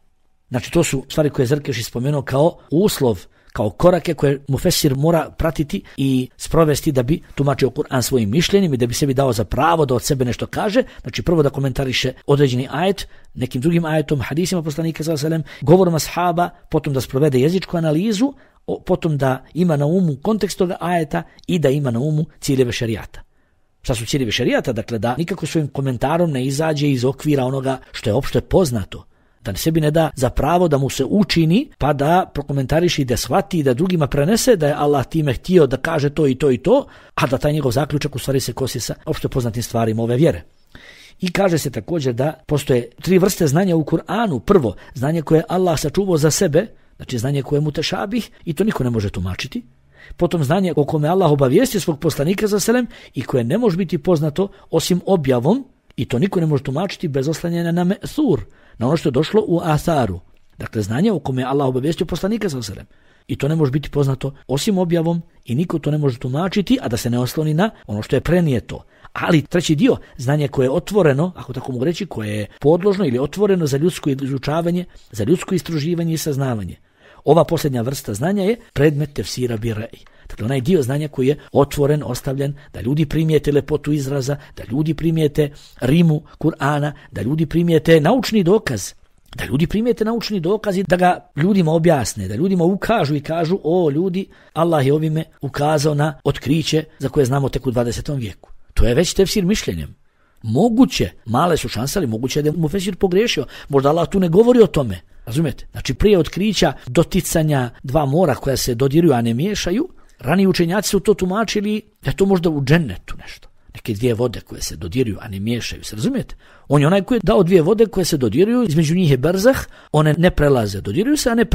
Znači to su stvari koje Zarkeši spomenuo kao uslov, kao korake koje mufesir mora pratiti i sprovesti da bi tumačio Kur'an svojim mišljenjem i da bi sebi dao za pravo da od sebe nešto kaže. Znači prvo da komentariše određeni ajet nekim drugim ajetom, hadisima poslanika sallallahu alejhi ve sellem, govorom ashaba, potom da sprovede jezičku analizu, potom da ima na umu kontekst toga ajeta i da ima na umu ciljeve šerijata. Šta su ciljevi šerijata? Dakle, da nikako svojim komentarom ne izađe iz okvira onoga što je opšte poznato. Da sebi ne da za pravo da mu se učini, pa da prokomentariše i da shvati i da drugima prenese da je Allah time htio da kaže to i to i to, a da taj njegov zaključak u stvari se kosi sa opšte poznatim stvarima ove vjere. I kaže se također da postoje 3 vrste znanja u Kur'anu. Prvo, znanje koje Allah sačuvao za sebe, znači znanje koje je mutešabih i to niko ne može tumačiti. Potom znanje o kome Allah obavijestio svog poslanika sallallahu alejhi ve sellem i koje ne može biti poznato osim objavom, i to niko ne može tumačiti bez oslanjanja na me'thur, na ono što je došlo u atharu. Dakle, znanje o kome Allah obavijestio poslanika sallallahu alejhi ve sellem. I to ne može biti poznato osim objavom i niko to ne može tumačiti, a da se ne osloni na ono što je prenijeto. Ali treći dio, znanje koje je otvoreno, ako tako mogu reći, koje je podložno ili otvoreno za ljudsko izučavanje, za ljudsko istraživanje i saznavanje. Ova posljednja vrsta znanja je predmet tefsira birej. Dakle, onaj dio znanja koji je otvoren, ostavljen, da ljudi primijete lepotu izraza, da ljudi primijete rimu Kur'ana, da ljudi primijete naučni dokaz. Da ljudi primijete naučni dokaz i da ga ljudima objasne, da ljudima ukažu i kažu, o ljudi, Allah je ovime ukazao na otkriće za koje znamo tek u 20. vijeku. To je već tefsir mišljenjem. Moguće, male su šanse, ali moguće da je mufesir pogriješio. Možda Allah tu ne govori o tome. Razumijete? Znači, prije otkrića doticanja dva mora koja se dodiruju, a ne miješaju, raniji učenjaci su to tumačili da je to možda u džennetu nešto. Neke dvije vode koje se dodiruju, a ne miješaju se, razumijete? On je onaj koji je dao dvije vode koje se dodiruju, između njih je berzah, one ne prelaze, dodiruju se, a ne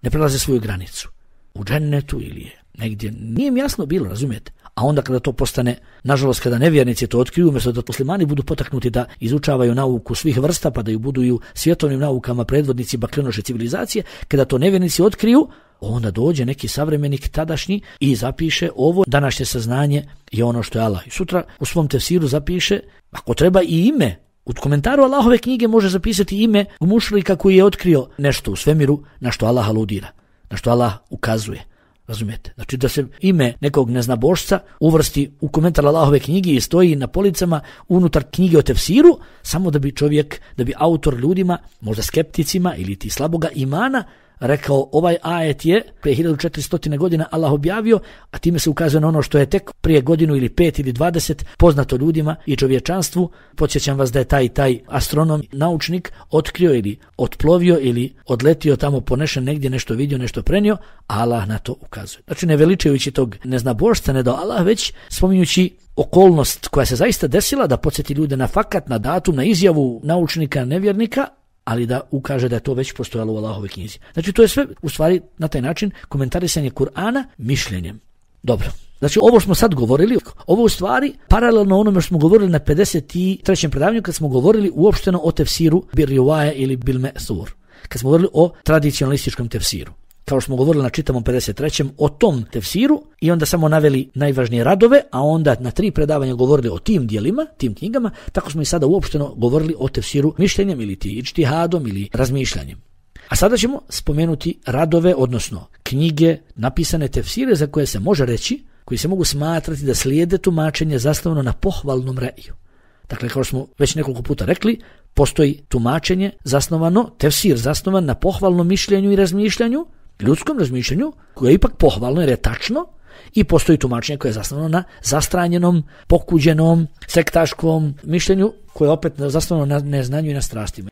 prelaze svoju granicu. U džennetu ili je negdje, nije mi jasno bilo, razumijete? A onda kada to postane, nažalost kada nevjernici to otkriju, umjesto da muslimani budu potaknuti da izučavaju nauku svih vrsta, pa da ju budu i u svjetovnim naukama predvodnici baklenoše civilizacije, kada to nevjernici otkriju, onda dođe neki savremenik tadašnji i zapiše ovo današnje saznanje je ono što je Allah. I sutra u svom tefsiru zapiše, ako treba i ime, u komentaru Allahove knjige može zapisati ime mušrika koji je otkrio nešto u svemiru na što Allah aludira, na što Allah ukazuje. Razumijete? Znači da se ime nekog neznabošca uvrsti u komentar Allahove knjige i stoji na policama unutar knjige o tefsiru, samo da bi čovjek, da bi autor ljudima, možda skepticima ili ti slaboga imana, rekao ovaj ajet je prije 1400 godina Allah objavio, a time se ukazuje na ono što je tek prije godinu ili 5 ili 20 poznato ljudima i čovječanstvu. Podsjećam vas da je taj astronom, naučnik otkrio ili otplovio ili odletio tamo, ponešen negdje, nešto vidio, nešto prenio, a Allah na to ukazuje. Znači ne veličajući tog neznabošca, ne do Allah, već spominjući okolnost koja se zaista desila da podsjeti ljude na fakat, na datum, na izjavu naučnika, nevjernika, ali da ukaže da je to već postojalo u Allahovoj knjizi. Znači to je sve u stvari na taj način komentarisanje Kur'ana mišljenjem. Dobro. Znači ovo smo sad govorili, ovo u stvari paralelno onome što smo govorili na 53. predavanju kad smo govorili uopšteno o tefsiru bil rivaja ili bil me'thur. Kad smo govorili o tradicionalističkom tefsiru. Kao što smo govorili na čitavom 53. o tom tefsiru i onda samo naveli najvažnije radove, a onda na 3 predavanja govorili o tim dijelima, tim knjigama, tako smo i sada uopšteno govorili o tefsiru mišljenjem ili ti ičtihadom ili razmišljanjem. A sada ćemo spomenuti radove, odnosno knjige, napisane tefsire za koje se može reći, koji se mogu smatrati da slijede tumačenje zasnovano na pohvalnom reju. Dakle, kao smo već nekoliko puta rekli, postoji tumačenje zasnovano, tefsir zasnovan na pohvalnom mišljenju i razmišljanju, ljudskom razmišljanju, koje je ipak pohvalno jer je tačno, i postoji tumačenje koje je zasnovano na zastranjenom, pokuđenom, sektaškom mišljenju, koje je opet zasnovano na neznanju i na strastima.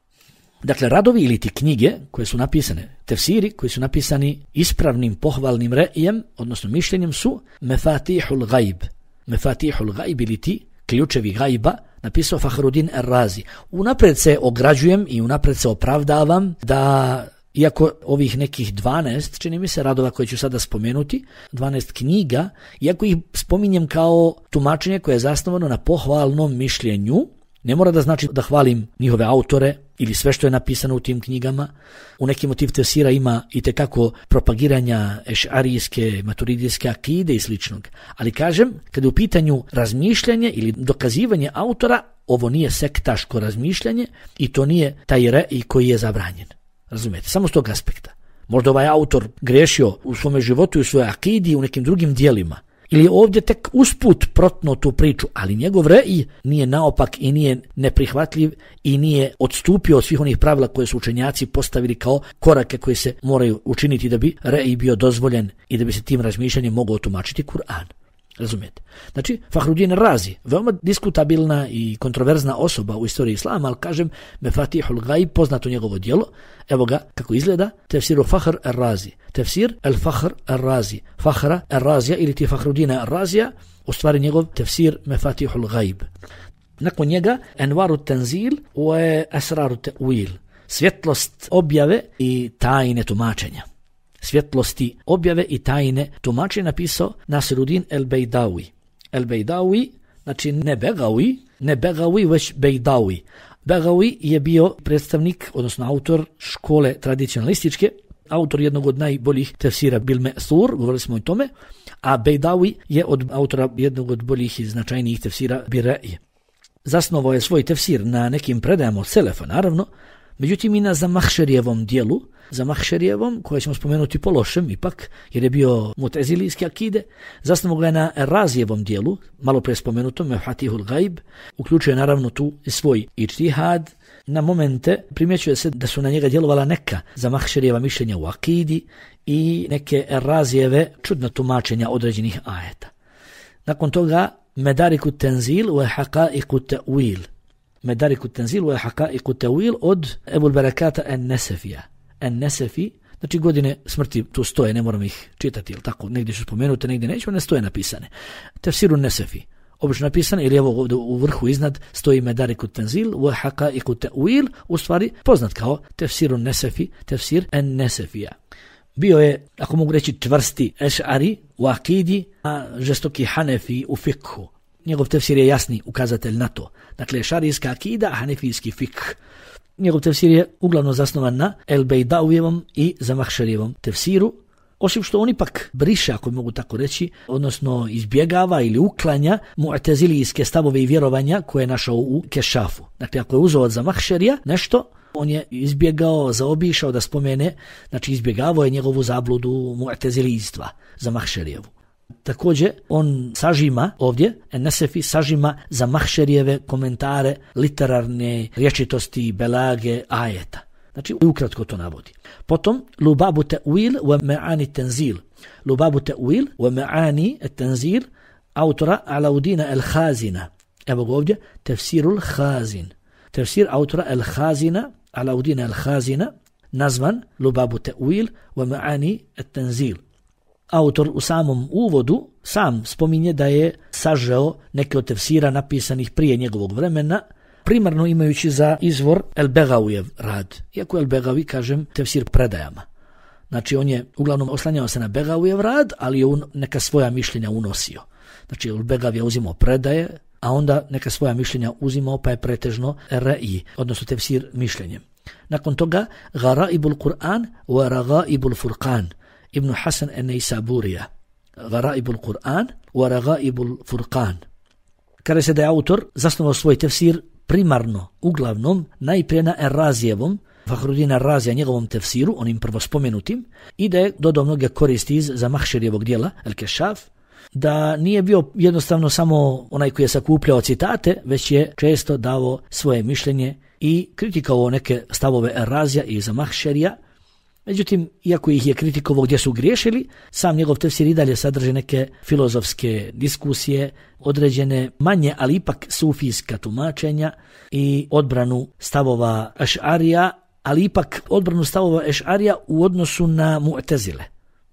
Dakle, radovi ili ti knjige koje su napisane, tefsiri koji su napisani ispravnim pohvalnim rejem, odnosno mišljenjem, su Mefatihul Gajb. Mefatihul Gajb ili ti ključevi gajba, napisao Fahruddin Ar-Razi. Unapred se ograđujem i unapred se opravdavam da, iako ovih nekih 12, čini mi se, radova koje ću sada spomenuti, 12 knjiga, iako ih spominjem kao tumačenje koje je zasnovano na pohvalnom mišljenju, ne mora da znači da hvalim njihove autore ili sve što je napisano u tim knjigama. U nekim motiv tefsira ima i tekako propagiranja ešarijske, maturidijske akide i sličnog. Ali kažem, kada je u pitanju razmišljanje ili dokazivanje autora, ovo nije sektaško razmišljanje i to nije taj rej koji je zabranjen. Razumijete? Samo s tog aspekta. Možda ovaj autor grešio u svome životu i u svojoj akidi i u nekim drugim dijelima. Ili ovdje tek usput protno tu priču, ali njegov rej nije naopak i nije neprihvatljiv i nije odstupio od svih onih pravila koje su učenjaci postavili kao korake koje se moraju učiniti da bi rej bio dozvoljen i da bi se tim razmišljanjem mogao tumačiti Kur'an. Razumijete? Znači, Fahruddin Razi, veoma diskutabilna i kontroverzna osoba u istoriji islama, ali kažem, Mefatihul Gajb, poznato njegovo djelo, evo ga kako izgleda, tefsiru Fahr Ar-Razi, tefsir El-Fahr Ar-Razi, Fahra Ar-Razija ili ti Fahruddina Ar-Razija, u stvari njegov tefsir Mefatihul Gajb. Nakon njega, Envaru Tenzil u Esraru Te'wil, svjetlost objave i tajne tumačenja. svjetlosti objave i tajne tumačenja napisao Nasiruddin el-Bejdawi. El-Bejdawi, znači ne Begawi, već Bejdawi. Begawi je bio predstavnik, odnosno autor škole tradicionalističke, autor jednog od najboljih tefsira Bil Me'thur, govorili smo o tome, a Bejdawi je od autora jednog od boljih i značajnijih tefsira Bira'i. Zasnovao je svoj tefsir na nekim predajama od Selefa, naravno, međutim i na Zamahšerijevom dijelu, Zamahšerijevom, koje ćemo spomenuti po lošem ipak, jer je bio mutezilijske akide, zasnovao ga je na Razijevom dijelu, malo pre spomenutom, Mefatihul Gajb, uključuje naravno tu svoj ičtihad. Na momente primjećuje se da su na njega djelovala neka Zamahšerijeva mišljenja u akidi i neke Razijeve čudna tumačenja određenih ajeta. Nakon toga Medariku Tenzil wa Haqa'iqu Ta'wil. Medariku Tenzil wa Haqa'iqu Ta'wil od Ebul Berekata en-Nesefija. En-Nesefi, znači godine smrti tu stoje, ne moram ih čitati, ili tako, negdje ću spomenuti, negdje neću, ne stoje napisane. Tefsiru Nesefi. Obično napisane, ili evo ovdje u vrhu iznad stoji Medariku Tenzil wa Haqa'iqu Ta'wil, u stvari poznat kao Tefsiru Nesefi, Tefsir en-Nesefija. Bio je, ako mogu reći, čvrsti Eš'ari u akidi, a žestoki Hanefi u fikhu. Njegov tefsir je jasni ukazatelj na to. Dakle, eš'arijska akida, a hanefijski fikh. Njegov tefsir je uglavnom zasnovan na El-Bejdawijevom i Zamahšerijevom tefsiru, osim što on ipak briše, ako mogu tako reći, odnosno izbjegava ili uklanja mu'tezilijske stavove i vjerovanja koje je našao u Kešafu. Dakle, ako je uzeo od Zamahšerija nešto, on je izbjegao, zaobišao da spomene, znači izbjegavao je njegovu zabludu mu'tezilijstva, Zamahšerijevu. Također, on sažima ovdje, En-Nesefi sažima Zamahšerijeve komentare, literarne rječitosti, belage, ajeta. Znači, ukratko to navodi. Potom, Lubabu Ta'wil wa Ma'ani Tenzil. Lubabu Ta'wil wa Ma'ani Tenzil, autora Alaudina el-Khazina. Evo ga ovdje, Tefsirul Khazin. Tefsir autora el-Khazina, Alaudina el-Khazina, nazvan Lubabu Ta'wil wa Ma'ani Tenzil. Autor u samom uvodu sam spominje da je sažeo neke od tefsira napisanih prije njegovog vremena, primarno imajući za izvor El-Begawijev rad. Iako El-Begawi, kažem, tefsir predajama. Znači, on je uglavnom oslanjao se na Begawijev rad, ali je neka svoja mišljenja unosio. Znači, El-Begawi je uzimao predaje, a onda neka svoja mišljenja uzimao, pa je pretežno Ra'i, odnosno tefsir mišljenjem. Nakon toga, Garaibul Kur'an wa Ragaibul Furqan, Ibn Hasan en-Nejsaburija. Garaibul Kur'an wa Ragaibul Furqan. Kada se da je autor zasnovao svoj tefsir primarno, uglavnom, najprije na Razijevom, Fahrudina Razija, njegovom tefsiru, onim prvo spomenutim, i da je dodao mnoge koristi iz Zamahšerijevog dijela, El-Kešaf, da nije bio jednostavno samo onaj koji je sakupljao citate, već je često davo svoje mišljenje i kritikovao neke stavove Razija i Zamahšerija. Međutim, iako ih je kritikovao gdje su griješili, sam njegov tefsir i dalje sadrži neke filozofske diskusije, određene manje, ali ipak sufijska tumačenja i odbranu stavova Eš'arija, ali ipak odbranu stavova Eš'arija u odnosu na Mu'tezile.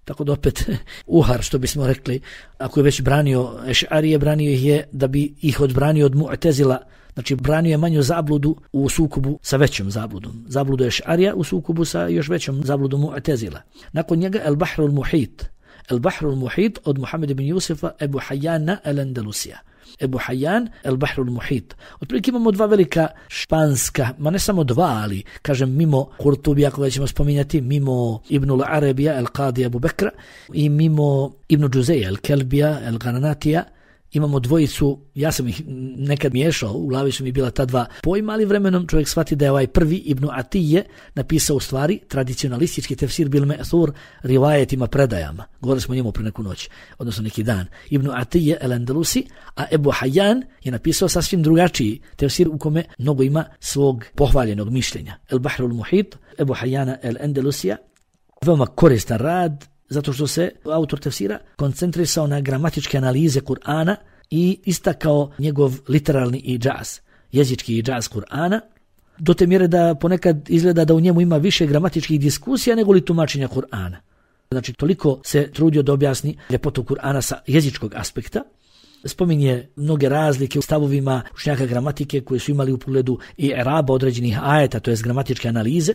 Tako da opet uhar, što bismo rekli, ako je već branio Eš'arije, branio ih je da bi ih odbranio od Mu'tezila. Znači, branio je manju zabludu u sukobu sa većom zabludom. Zabludu Eš'arija u sukobu sa još većom zabludom Mu'tezila. Nakon njega El-Bahrul Muhit. El-Bahrul Muhit od Muhammed ibn Jusufa Ebu Hajjana el-Andalusija. Ebu Hajjan, El-Bahrul Muhit. Otprilike imamo dva velika španska, ma ne samo dva, ali kažem mimo Kurtubija koga ćemo spominjati, mimo Ibnul Arabija, El-Qadi Abu Bekra i mimo Ibn Džuzeja, El-Kelbija, El-Granatija. Imamo dvojicu, ja sam ih nekad miješao, u glavi su mi bila ta dva pojma, ali vremenom čovjek shvati da je ovaj prvi Ibn Atije napisao u stvari tradicionalistički tefsir Bil Me'thur rivajetima, predajama. Govorili smo o njemu pre neku noć, odnosno neki dan. Ibn Atije el-Andalusi, a Ebu Hajjan je napisao sasvim drugačiji tefsir u kome mnogo ima svog pohvaljenog mišljenja. El-Bahrul Muhit, Ebu Hajjana el-Andalusija, veoma koristan rad, zato što se autor tefsira koncentrisao na gramatičke analize Kur'ana i istakao njegov literalni idžaz, jezički idžaz Kur'ana, do te mjere da ponekad izgleda da u njemu ima više gramatičkih diskusija nego li tumačenja Kur'ana. Znači, toliko se trudio da objasni ljepotu Kur'ana sa jezičkog aspekta. spominje mnoge razlike u stavovima učenjaka gramatike koji su imali u pogledu i eraba određenih ajeta, to jest gramatičke analize,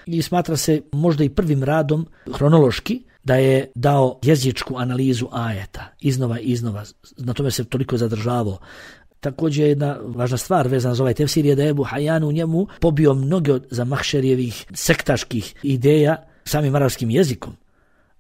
i smatra se možda i prvim radom hronološki da je dao jezičku analizu ajeta iznova i iznova, na tome se toliko zadržavao. Također jedna važna stvar vezana za ovaj tefsir je da je Ebu Hayyan u njemu pobio mnoge od Zamahšerijevih sektaških ideja samim arapskim jezikom.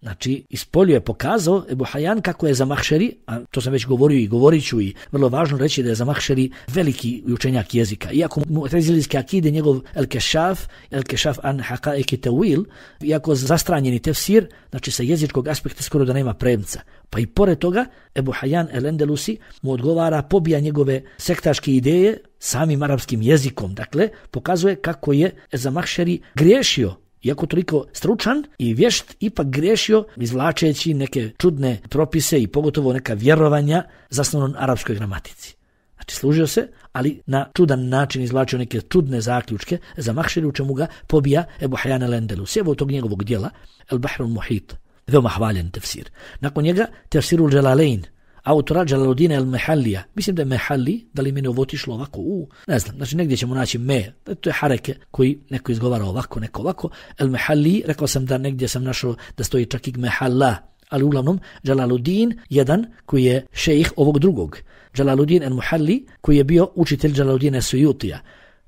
Znači, ispolio je pokazao Ebu Hayyan kako je Zamahšeri, a to sam već govorio i govorit ću, i vrlo važno reći da je Zamahšeri veliki učenjak jezika. Iako mu'tezilijske akide, njegov El-Kešaf an Haqa'iq Tawil, iako zastranjeni tefsir, znači sa jezičkog aspekta skoro da nema premca. Pa i pored toga, Ebu Hayyan el-Endelusi mu odgovara, pobija njegove sektaške ideje samim arapskim jezikom. Dakle, pokazuje kako je Zamahšeri griješio, iako toliko stručan i vješt, ipak griješio izvlačeći neke čudne propise i pogotovo neka vjerovanja zasnovano na arapskoj gramatici. Znači služio se, ali na čudan način izvlačio neke čudne zaključke Zamahšeri, u čemu ga pobija Ebu Hayyan el-Endelusi. Evo tog njegovog dijela El-Bahr al-Muhit, veoma hvaljen tefsir. Nakon njega tefsirul Jalalain, autora Jalaluddina el-Mehallija. Mislim da je Mehalli, da li meni ovo otišlo ovako, ne znam, znači negdje ćemo naći to je hareke koji neko izgovara ovako, neko ovako. El-Mehalli, rekao sam da negdje sam našao da stoji čak i Mehalla, ali uglavnom Jalaluddin, jedan koji je šejih ovog drugog. Jalaluddin el-Muhalli, koji je bio učitelj Jalaluddina Suyutija.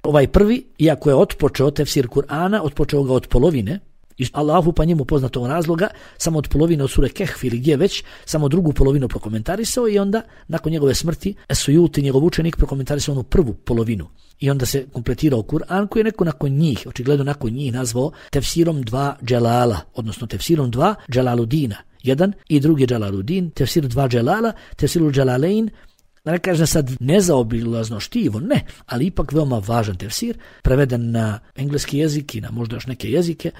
Ovaj prvi, iako je otpočeo tefsir Kur'ana, otpočeo ga od polovine, iz Allahu pa njemu poznatog razloga, samo od polovine od sure Kehf ili gdje već, samo drugu polovinu prokomentarisao i onda nakon njegove smrti Sujuti, njegov učenik, prokomentarisao onu prvu polovinu. I onda se kompletirao Kur'an koji je neko nakon njih, očigledno nakon njih, nazvao tefsirom dva Dželala, odnosno tefsirom dva Dželaludina. Jedan i drugi Dželaludin, tefsir dva Dželala, tefsirul Dželalein, da ne kažem sad nezaobilazno štivo, ne, ali ipak veoma važan tefsir, preveden na engleski jezik i na možda još neke jezike,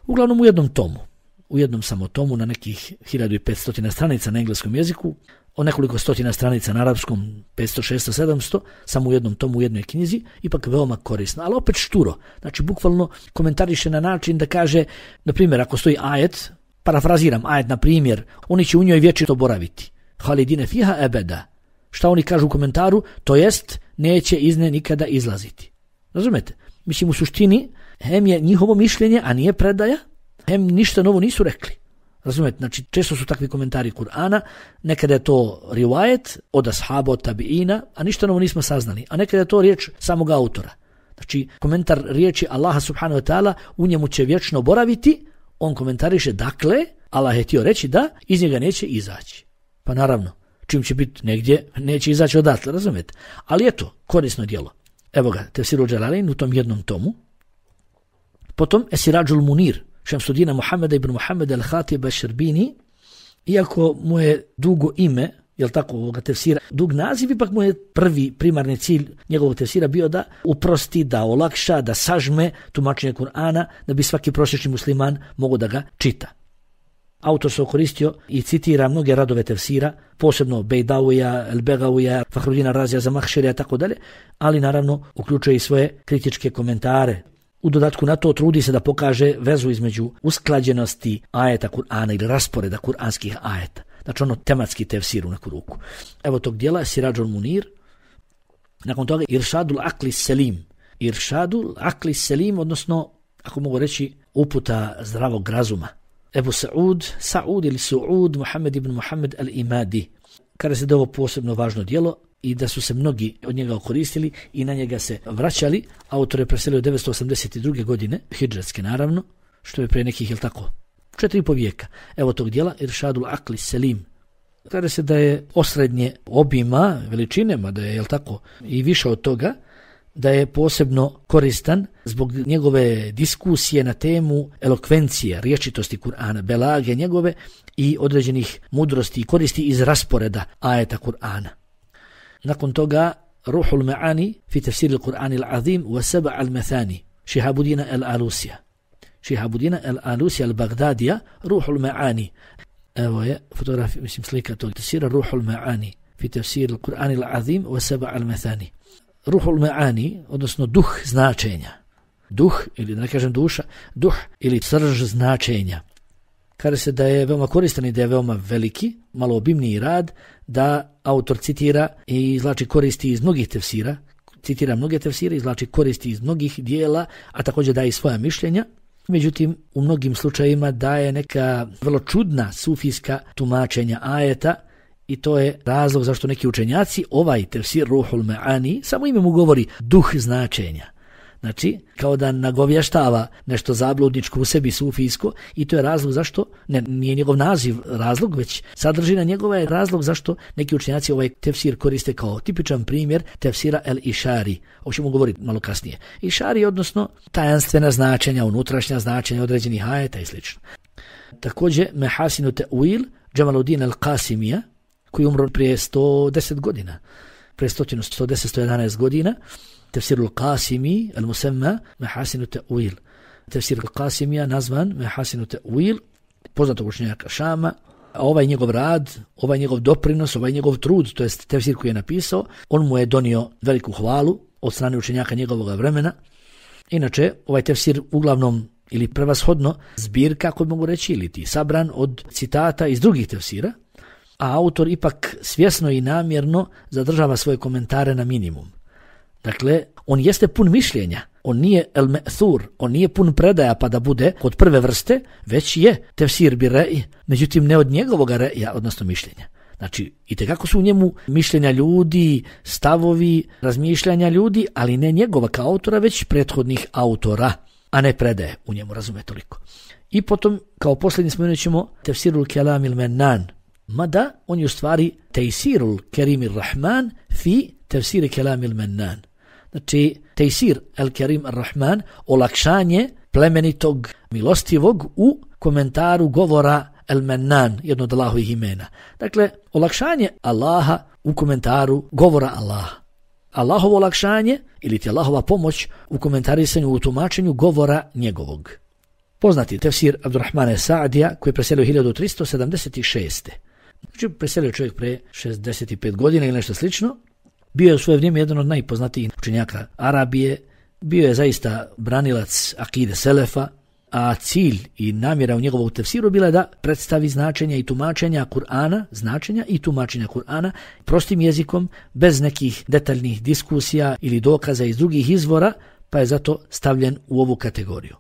uglavnom u jednom tomu, u jednom samo tomu na nekih 1500 stranica na engleskom jeziku, o nekoliko stotina stranica na arapskom, 500, 600, 700, samo u jednom tomu, u jednoj knjizi, ipak veoma korisno, ali opet šturo. Znači, bukvalno komentariše na način da kaže, na primjer, ako stoji ajet, parafraziram ajet, na primjer, oni će u njoj vječito boraviti. Halidine fiha ebeda. Šta oni kažu u komentaru? To jest, neće iz nje nikada izlaziti. Razumete? Mislim, u suštini, hem je njihovo mišljenje, a nije predaja, hem ništa novo nisu rekli. Razumete? Znači, često su takvi komentari Kur'ana, nekada je to rivajet od ashaba, od tabiina, a ništa novo nismo saznali. A nekada je to riječ samog autora. Znači, komentar riječi Allaha subhanahu wa ta'ala, u njemu će vječno boraviti, on komentariše, dakle, Allah je htio reći da iz njega neće izaći. Pa naravno, čim će biti negdje, neće izaći odatle, razumete? Ali eto, korisno djelo. Evo ga, tefsirul Jalalain u tom jednom tomu. Potom Esirajul Munir, Šemsudina Muhammeda ibn Muhammeda al-Khatiba al-Šerbini, iako mu je dugo ime, jel tako, ovoga tefsira, dug naziv, ipak mu je prvi primarni cilj njegovog tefsira bio da uprosti, da olakša, da sažme tumačenje Kur'ana, da bi svaki prosječni musliman mogao da ga čita. Autor se koristio i citira mnoge radove tefsira, posebno Bejdavija, El-Begavija, Fahrudina Razija, Zamahšerija, tako dalje, ali naravno uključuje i svoje kritičke komentare. U dodatku na to trudi se da pokaže vezu između usklađenosti ajeta Kur'ana ili rasporeda kur'anskih ajeta. Znači ono tematski tefsir u neku ruku. Evo tog dijela Sirajul Munir. Nakon toga Iršadul Akli Selim. Iršadul Akli Selim, odnosno, ako mogu reći, uputa zdravog razuma. Ebu Sa'ud ili Su'ud, Muhammed ibn Muhammed al-Imadi. Kada se da ovo posebno važno dijelo i da su se mnogi od njega koristili i na njega se vraćali, autor je preselio 982. godine, hidžretske naravno, što je pre nekih, jel tako, 4,5 vijeka. Evo tog dijela, Iršadul Akli Selim. Kada se da je osrednje obima, veličine, da je, jel tako, i više od toga, da je posebno koristan zbog njegove diskusije na temu elokvencije, riječitosti Kur'ana, belage njegove i određenih mudrosti i koristi iz rasporeda ajeta Kur'ana. Nakon toga Ruhul Ma'ani fi tefsir al-Qur'an al-Azim wa Saba al-Mathani, Šihabudina al-Alusija. Šihabudina al-Alusija al-Bagdadija, Ruhul Ma'ani. Evo je fotografija, mislim slika tog tefsira, Ruhul Ma'ani fi tefsir al-Qur'an al-Azim wa Saba al-Mathani. Ruhul Ma'ani, odnosno duh značenja. Duh, ili da ne kažem duša, duh ili srž značenja. kaže se da je veoma koristan i da je veoma veliki, malo obimniji rad, da autor citira i izvlači koristi iz mnogih tefsira, citira mnoge tefsire, izvlači koristi iz mnogih dijela, a također daje i svoja mišljenja. Međutim, u mnogim slučajevima daje neka vrlo čudna sufijska tumačenja ajeta i to je razlog zašto neki učenjaci ovaj tefsir Ruhul Ma'ani samo ime mu govori duh značenja. Znači, kao da nagovještava nešto zabludničko u sebi sufijsko i to je razlog zašto, nije njegov naziv razlog, već sadržina njegova je razlog zašto neki učenjaci ovaj tefsir koriste kao tipičan primjer tefsira el-Išari. O čemu govoriti malo kasnije. Išari, odnosno tajanstvena značenja, unutrašnja značenja određenih ajeta i sl. Također, Mehasinu Te'uil, Džemaluddin el-Qasimija, koji umro prije 110 godina, prije 111 godina, Tefsir al-Qasimi, al-Musamma, Mehasinu Te'uil. Tefsir al-Qasimija nazvan Mehasinu Te'uil, poznatog učenjaka Šama, a ovaj njegov rad, ovaj njegov doprinos, ovaj njegov trud, to jest tefsir koji je napisao, on mu je donio veliku hvalu od strane učenjaka njegovog vremena. Inače, ovaj tefsir uglavnom ili prevashodno zbirka, ako mogu reći, ili ti sabran od citata iz drugih tefsira, a autor ipak svjesno i namjerno zadržava svoje komentare na minimum. Dakle, on jeste pun mišljenja, on nije el-me'thur, on nije pun predaja pa da bude od prve vrste, već je tefsir bi re'i, međutim ne od njegovog re'ija, odnosno mišljenja. Znači, itekako su u njemu mišljenja ljudi, stavovi, razmišljanja ljudi, ali ne njegova kao autora, već prethodnih autora, a ne predaje u njemu, razume toliko. I potom, kao posljednji spomenut ćemo tefsirul kelamil mennan, mada on je u stvari tejsirul kerimir rahman fi tefsiri kelamil mennan. Znači, tejsir el kerim ar-Rahman, olakšanje plemenitog milostivog u komentaru govora el mennan, jedno od Allahovih imena. Dakle, olakšanje Allaha u komentaru govora Allaha. Allahovo olakšanje ili ti Allahova pomoć u komentarisanju, u tumačenju govora njegovog. Poznati tefsir Abdurrahmana Sa'dija koji je preselio 1376. Znači, preselio čovjek pre 65 godina ili nešto slično. Bio je u svoje vrijeme jedan od najpoznatijih učenjaka Arabije, bio je zaista branilac akide Selefa, a cilj i namjera u njegovom tefsiru bila je da predstavi značenja i tumačenja Kur'ana, značenja i tumačenja Kur'ana prostim jezikom, bez nekih detaljnih diskusija ili dokaza iz drugih izvora, pa je zato stavljen u ovu kategoriju.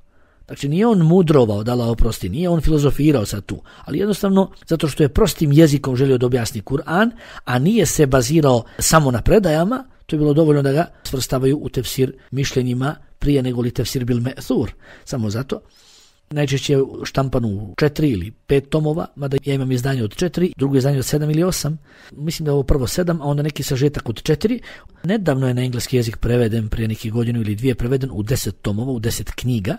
Znači, nije on mudrovao, da Allah oprosti, nije on filozofirao sad tu, ali jednostavno zato što je prostim jezikom želio da objasni Kur'an, a nije se bazirao samo na predajama, to je bilo dovoljno da ga svrstavaju u tefsir mišljenjima prije nego li tefsir bil me'thur. Samo zato. Najčešće je štampan u 4 ili 5 tomova, mada ja imam izdanje od 4, drugo izdanje od 7 ili 8. Mislim da je ovo prvo 7, a onda neki sažetak od 4. Nedavno je na engleski jezik preveden, prije nekih godinu ili dvije preveden u 10 tomova, u 10 knjiga.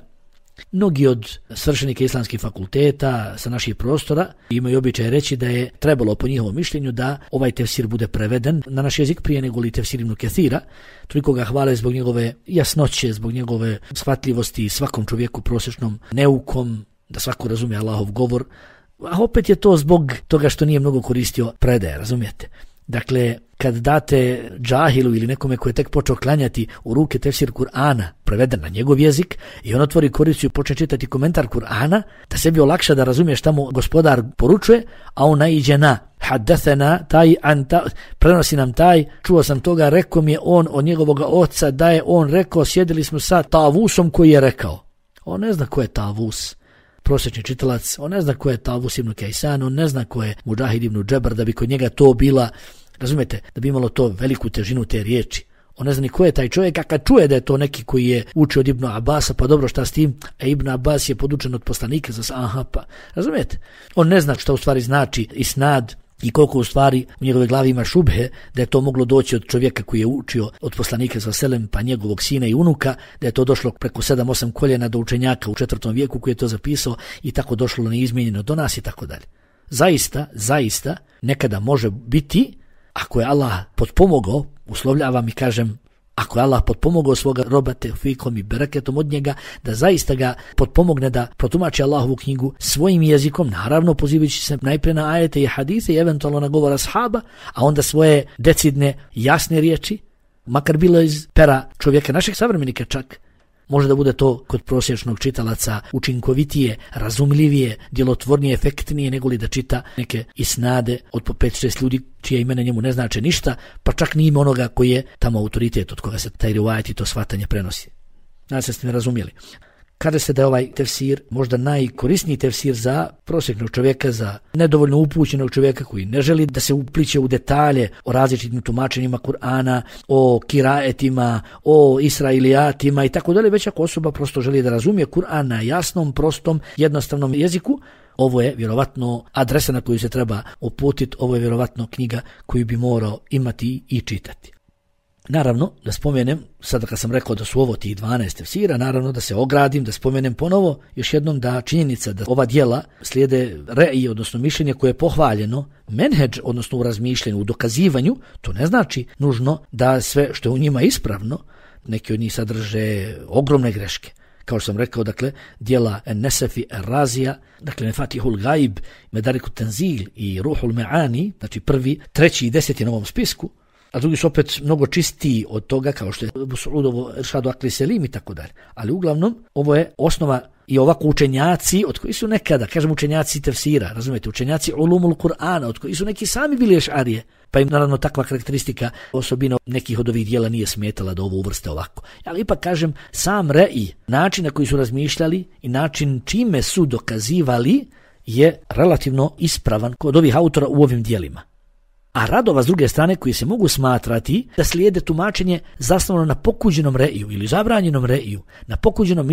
Mnogi od svršenika islamskih fakulteta sa naših prostora imaju običaj reći da je trebalo po njihovom mišljenju da ovaj tefsir bude preveden na naš jezik prije nego li tefsir Ibn Kathira. Toliko ga hvale zbog njegove jasnoće, zbog njegove shvatljivosti svakom čovjeku prosječnom neukom, da svako razumije Allahov govor, a opet je to zbog toga što nije mnogo koristio predaje, razumijete? Dakle, kad date džahilu ili nekome koji je tek počeo klanjati u ruke tefsir Kur'ana, preveden na njegov jezik, i on otvori koriciju i počne čitati komentar Kur'ana, da sebi olakša da razumije šta mu gospodar poručuje, a on naiđe na haddathana, taj anta, prenosi nam taj, čuo sam toga, rekao mi je on od njegovog oca, da je on rekao, sjedili smo sa Tavusom koji je rekao. On ne zna ko je Tavus, prosječni čitalac, on ne zna ko je Tavus ibn Kajsan, on ne zna ko je Mudžahid ibn Džebar, da bi kod njega to bila, razumete, da bi imalo to veliku težinu te riječi. On ne zna ni ko je taj čovjek, a kad čuje da je to neki koji je učio od Ibn Abasa, pa dobro šta s tim, a Ibn Abbas je podučen od poslanika, aha, pa, razumete, on ne zna šta u stvari znači isnad i koliko u stvari u njegove glavi ima šubhe, da je to moglo doći od čovjeka koji je učio od poslanika sa selem, pa njegovog sina i unuka, da je to došlo preko 7-8 koljena do učenjaka u 4. vijeku koji je to zapisao i tako došlo neizmijenjeno do nas i tako dalje. Zaista, nekada može biti, ako je Allah potpomogao, uslovljavam i kažem, ako je Allah potpomogao svoga roba tevfikom i bereketom od njega, da zaista ga potpomogne da protumači Allahovu knjigu svojim jezikom, naravno pozivajući se najprije na ajete i hadise i eventualno na govor ashaba, a onda svoje decidne, jasne riječi, makar bilo iz pera čovjeka naših savremenika čak, može da bude to kod prosječnog čitalaca učinkovitije, razumljivije, djelotvornije, efektnije nego li da čita neke isnade od po 5-6 ljudi čije imena njemu ne znače ništa, pa čak ni ime onoga koji je tamo autoritet od koga se taj rivajet i to shvatanje prenosi. Nadam se ste me razumjeli. Kada se da je ovaj tefsir možda najkorisniji tefsir za prosječnog čovjeka, za nedovoljno upućenog čovjeka koji ne želi da se upliće u detalje o različitim tumačenjima Kur'ana, o kiraetima, o israilijatima i tako dalje, već ako osoba prosto želi da razumije Kur'an na jasnom, prostom, jednostavnom jeziku, ovo je vjerovatno adresa na koju se treba uputiti, ovo je vjerovatno knjiga koju bi morao imati i čitati. Naravno, da spomenem, sada kad sam rekao da su ovo tih 12 tefsira, naravno da se ogradim, da spomenem ponovo još jednom da činjenica da ova djela slijede re'i, odnosno mišljenje koje je pohvaljeno, menheđ, odnosno u razmišljenju, u dokazivanju, to ne znači nužno da sve što je u njima ispravno, neki od njih sadrže ogromne greške. Kao što sam rekao, dakle, djela Nesefi Razija, dakle, Nefatihul Gaib, Medariku Tenzil i Ruhul Me'ani, znači 1., 3. i 10. na ovom spisku, a drugi su opet mnogo čistiji od toga, kao što je Su'udovo Iršadu Akli Selim i tako dalje. Ali uglavnom, ovo je osnova i ovako učenjaci, od koji su nekada, kažem učenjaci tefsira, razumijete, učenjaci ulumul Kur'ana, od koji su neki sami bili ešarije, pa im naravno takva karakteristika, osobina nekih od ovih dijela nije smetala da ovo uvrste ovako. Ali ipak kažem, sam re'i, način na koji su razmišljali i način čime su dokazivali je relativno ispravan kod ovih autora u ovim dijelima. A radova s druge strane koji se mogu smatrati da slijede tumačenje zasnovano na pokuđenom re'iju ili zabranjenom re'iju, na pokuđenom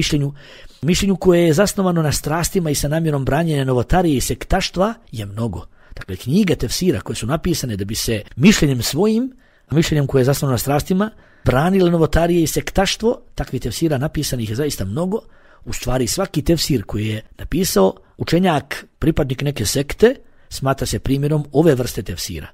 mišljenju koje je zasnovano na strastima i sa namjerom branjenja novotarije i sektaštva je mnogo. Dakle, knjige tefsira koje su napisane da bi se mišljenjem svojim, mišljenjem koje je zasnovano na strastima, branile novotarije i sektaštvo, takvih tefsira napisanih je zaista mnogo. U stvari svaki tefsir koji je napisao učenjak, pripadnik neke sekte, smatra se primjerom ove vrste tefsira.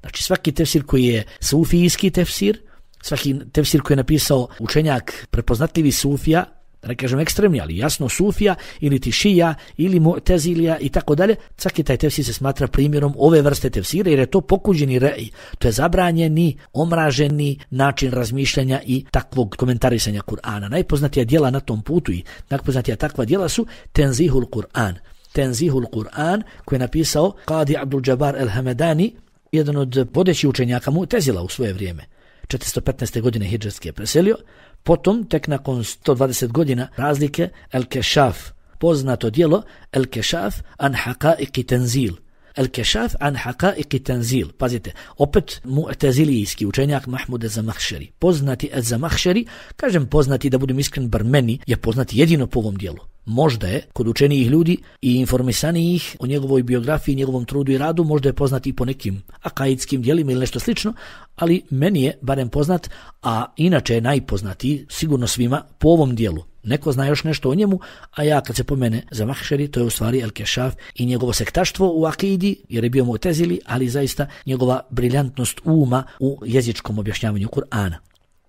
Znači svaki tefsir koji je sufijski tefsir, svaki tefsir koji je napisao učenjak prepoznatljivi sufija, da ne kažem ekstremni, ali jasno sufija, ili ti šija, ili mu'tezilija i tako dalje, svaki taj tefsir se smatra primjerom ove vrste tefsira jer je to pokuđeni re'i, to je zabranjeni, omraženi način razmišljanja i takvog komentarisanja Kur'ana. Najpoznatija djela na tom putu i najpoznatija takva djela su Tenzihul Kur'an. Tenzihul Kur'an koji je napisao Qadi Abdul Jabbar el-Hamedani, jedan od vodećih učenjaka Mu'tezila u svoje vrijeme. 415. godine hidžetski je preselio, potom tek nakon 120 godina razlike El-Kešaf, poznato djelo El-Kešaf an haqa'iqi tenzil. El-Kešaf an haqa'iqi tenzil. Pazite, opet mu'tezilijski učenjak Mahmud ez-Zamahšeri. Poznati ez-Zamahšeri, kažem poznati da budem iskren, bar meni je poznati jedino po ovom djelu. Možda je kod učenijih ljudi i informisanijih o njegovoj biografiji, njegovom trudu i radu, možda je poznat i po nekim akaidskim djelima ili nešto slično, ali meni je barem poznat, a inače je najpoznatiji sigurno svima po ovom djelu. Neko zna još nešto o njemu, a ja kad se pomene Zamahšeri, to je u stvari El-Kešaf i njegovo sektaštvo u akidi, jer je bio Mu'tezili, ali zaista njegova briljantnost uma u jezičkom objašnjavanju Kur'ana.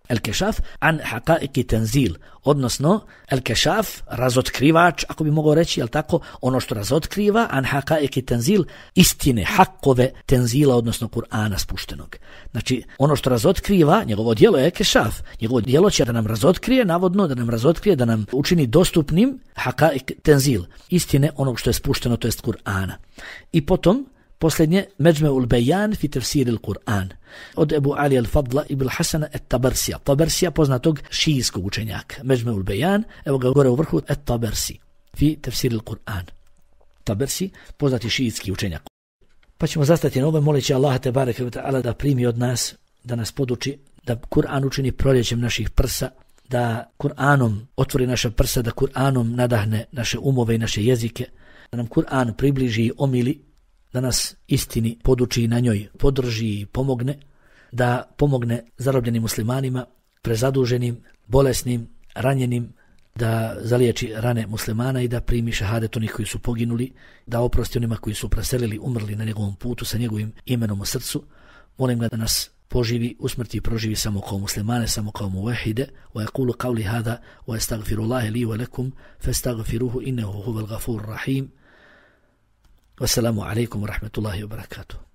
El-Kešaf an haqa'iqi tenzil, odnosno El-Kešaf, razotkrivač, ako bi mogao reći, jel tako, ono što razotkriva, an haqa'iqi tenzil, istine, hakove tenzila, odnosno Kur'ana spuštenog. Znači, ono što razotkriva, njegovo djelo je Kešaf, njegovo djelo će da nam razotkrije, navodno, da nam učini dostupnim haqa'iq tenzil, istine onog što je spušteno, to jest Kur'ana. I potom, posljednje, Međme'ul Bejan fi tefsiril Kur'an, od Ebu Ali al-Fadla ibn Hasana et-Tabersija. Tabersija poznatog šijskog učenjaka. Međme'ul Bejan, evo ga gore u vrhu, et-Tabersi fi tefsiril Kur'an. Tabersi, poznati šijski učenjak. Pa ćemo zastati na ove, moleći Allaha te bareke ve ta'ala da primi od nas, da nas poduči, da Kur'an učini proljećem naših prsa, da Kur'anom otvori naša prsa, da Kur'anom nadahne naše umove i naše jezike, da nam Kur'an približi i omili, da nas istini poduči i na njoj podrži i pomogne, da pomogne zarobljenim muslimanima, prezaduženim, bolesnim, ranjenim, da zaliječi rane muslimana i da primi šahadet onih koji su poginuli, da oprosti onima koji su preselili, umrli na njegovom putu sa njegovim imenom u srcu. Molim ga da nas poživi, usmrti i proživi samo kao muslimane, samo kao muvahide. Wa yaqulu qawli hada wa astaghfirullaha li wa lakum fastaghfiruhu innahu huwal ghafurur rahim. Wassalamu alaikum wa rahmatullahi wa barakatuh.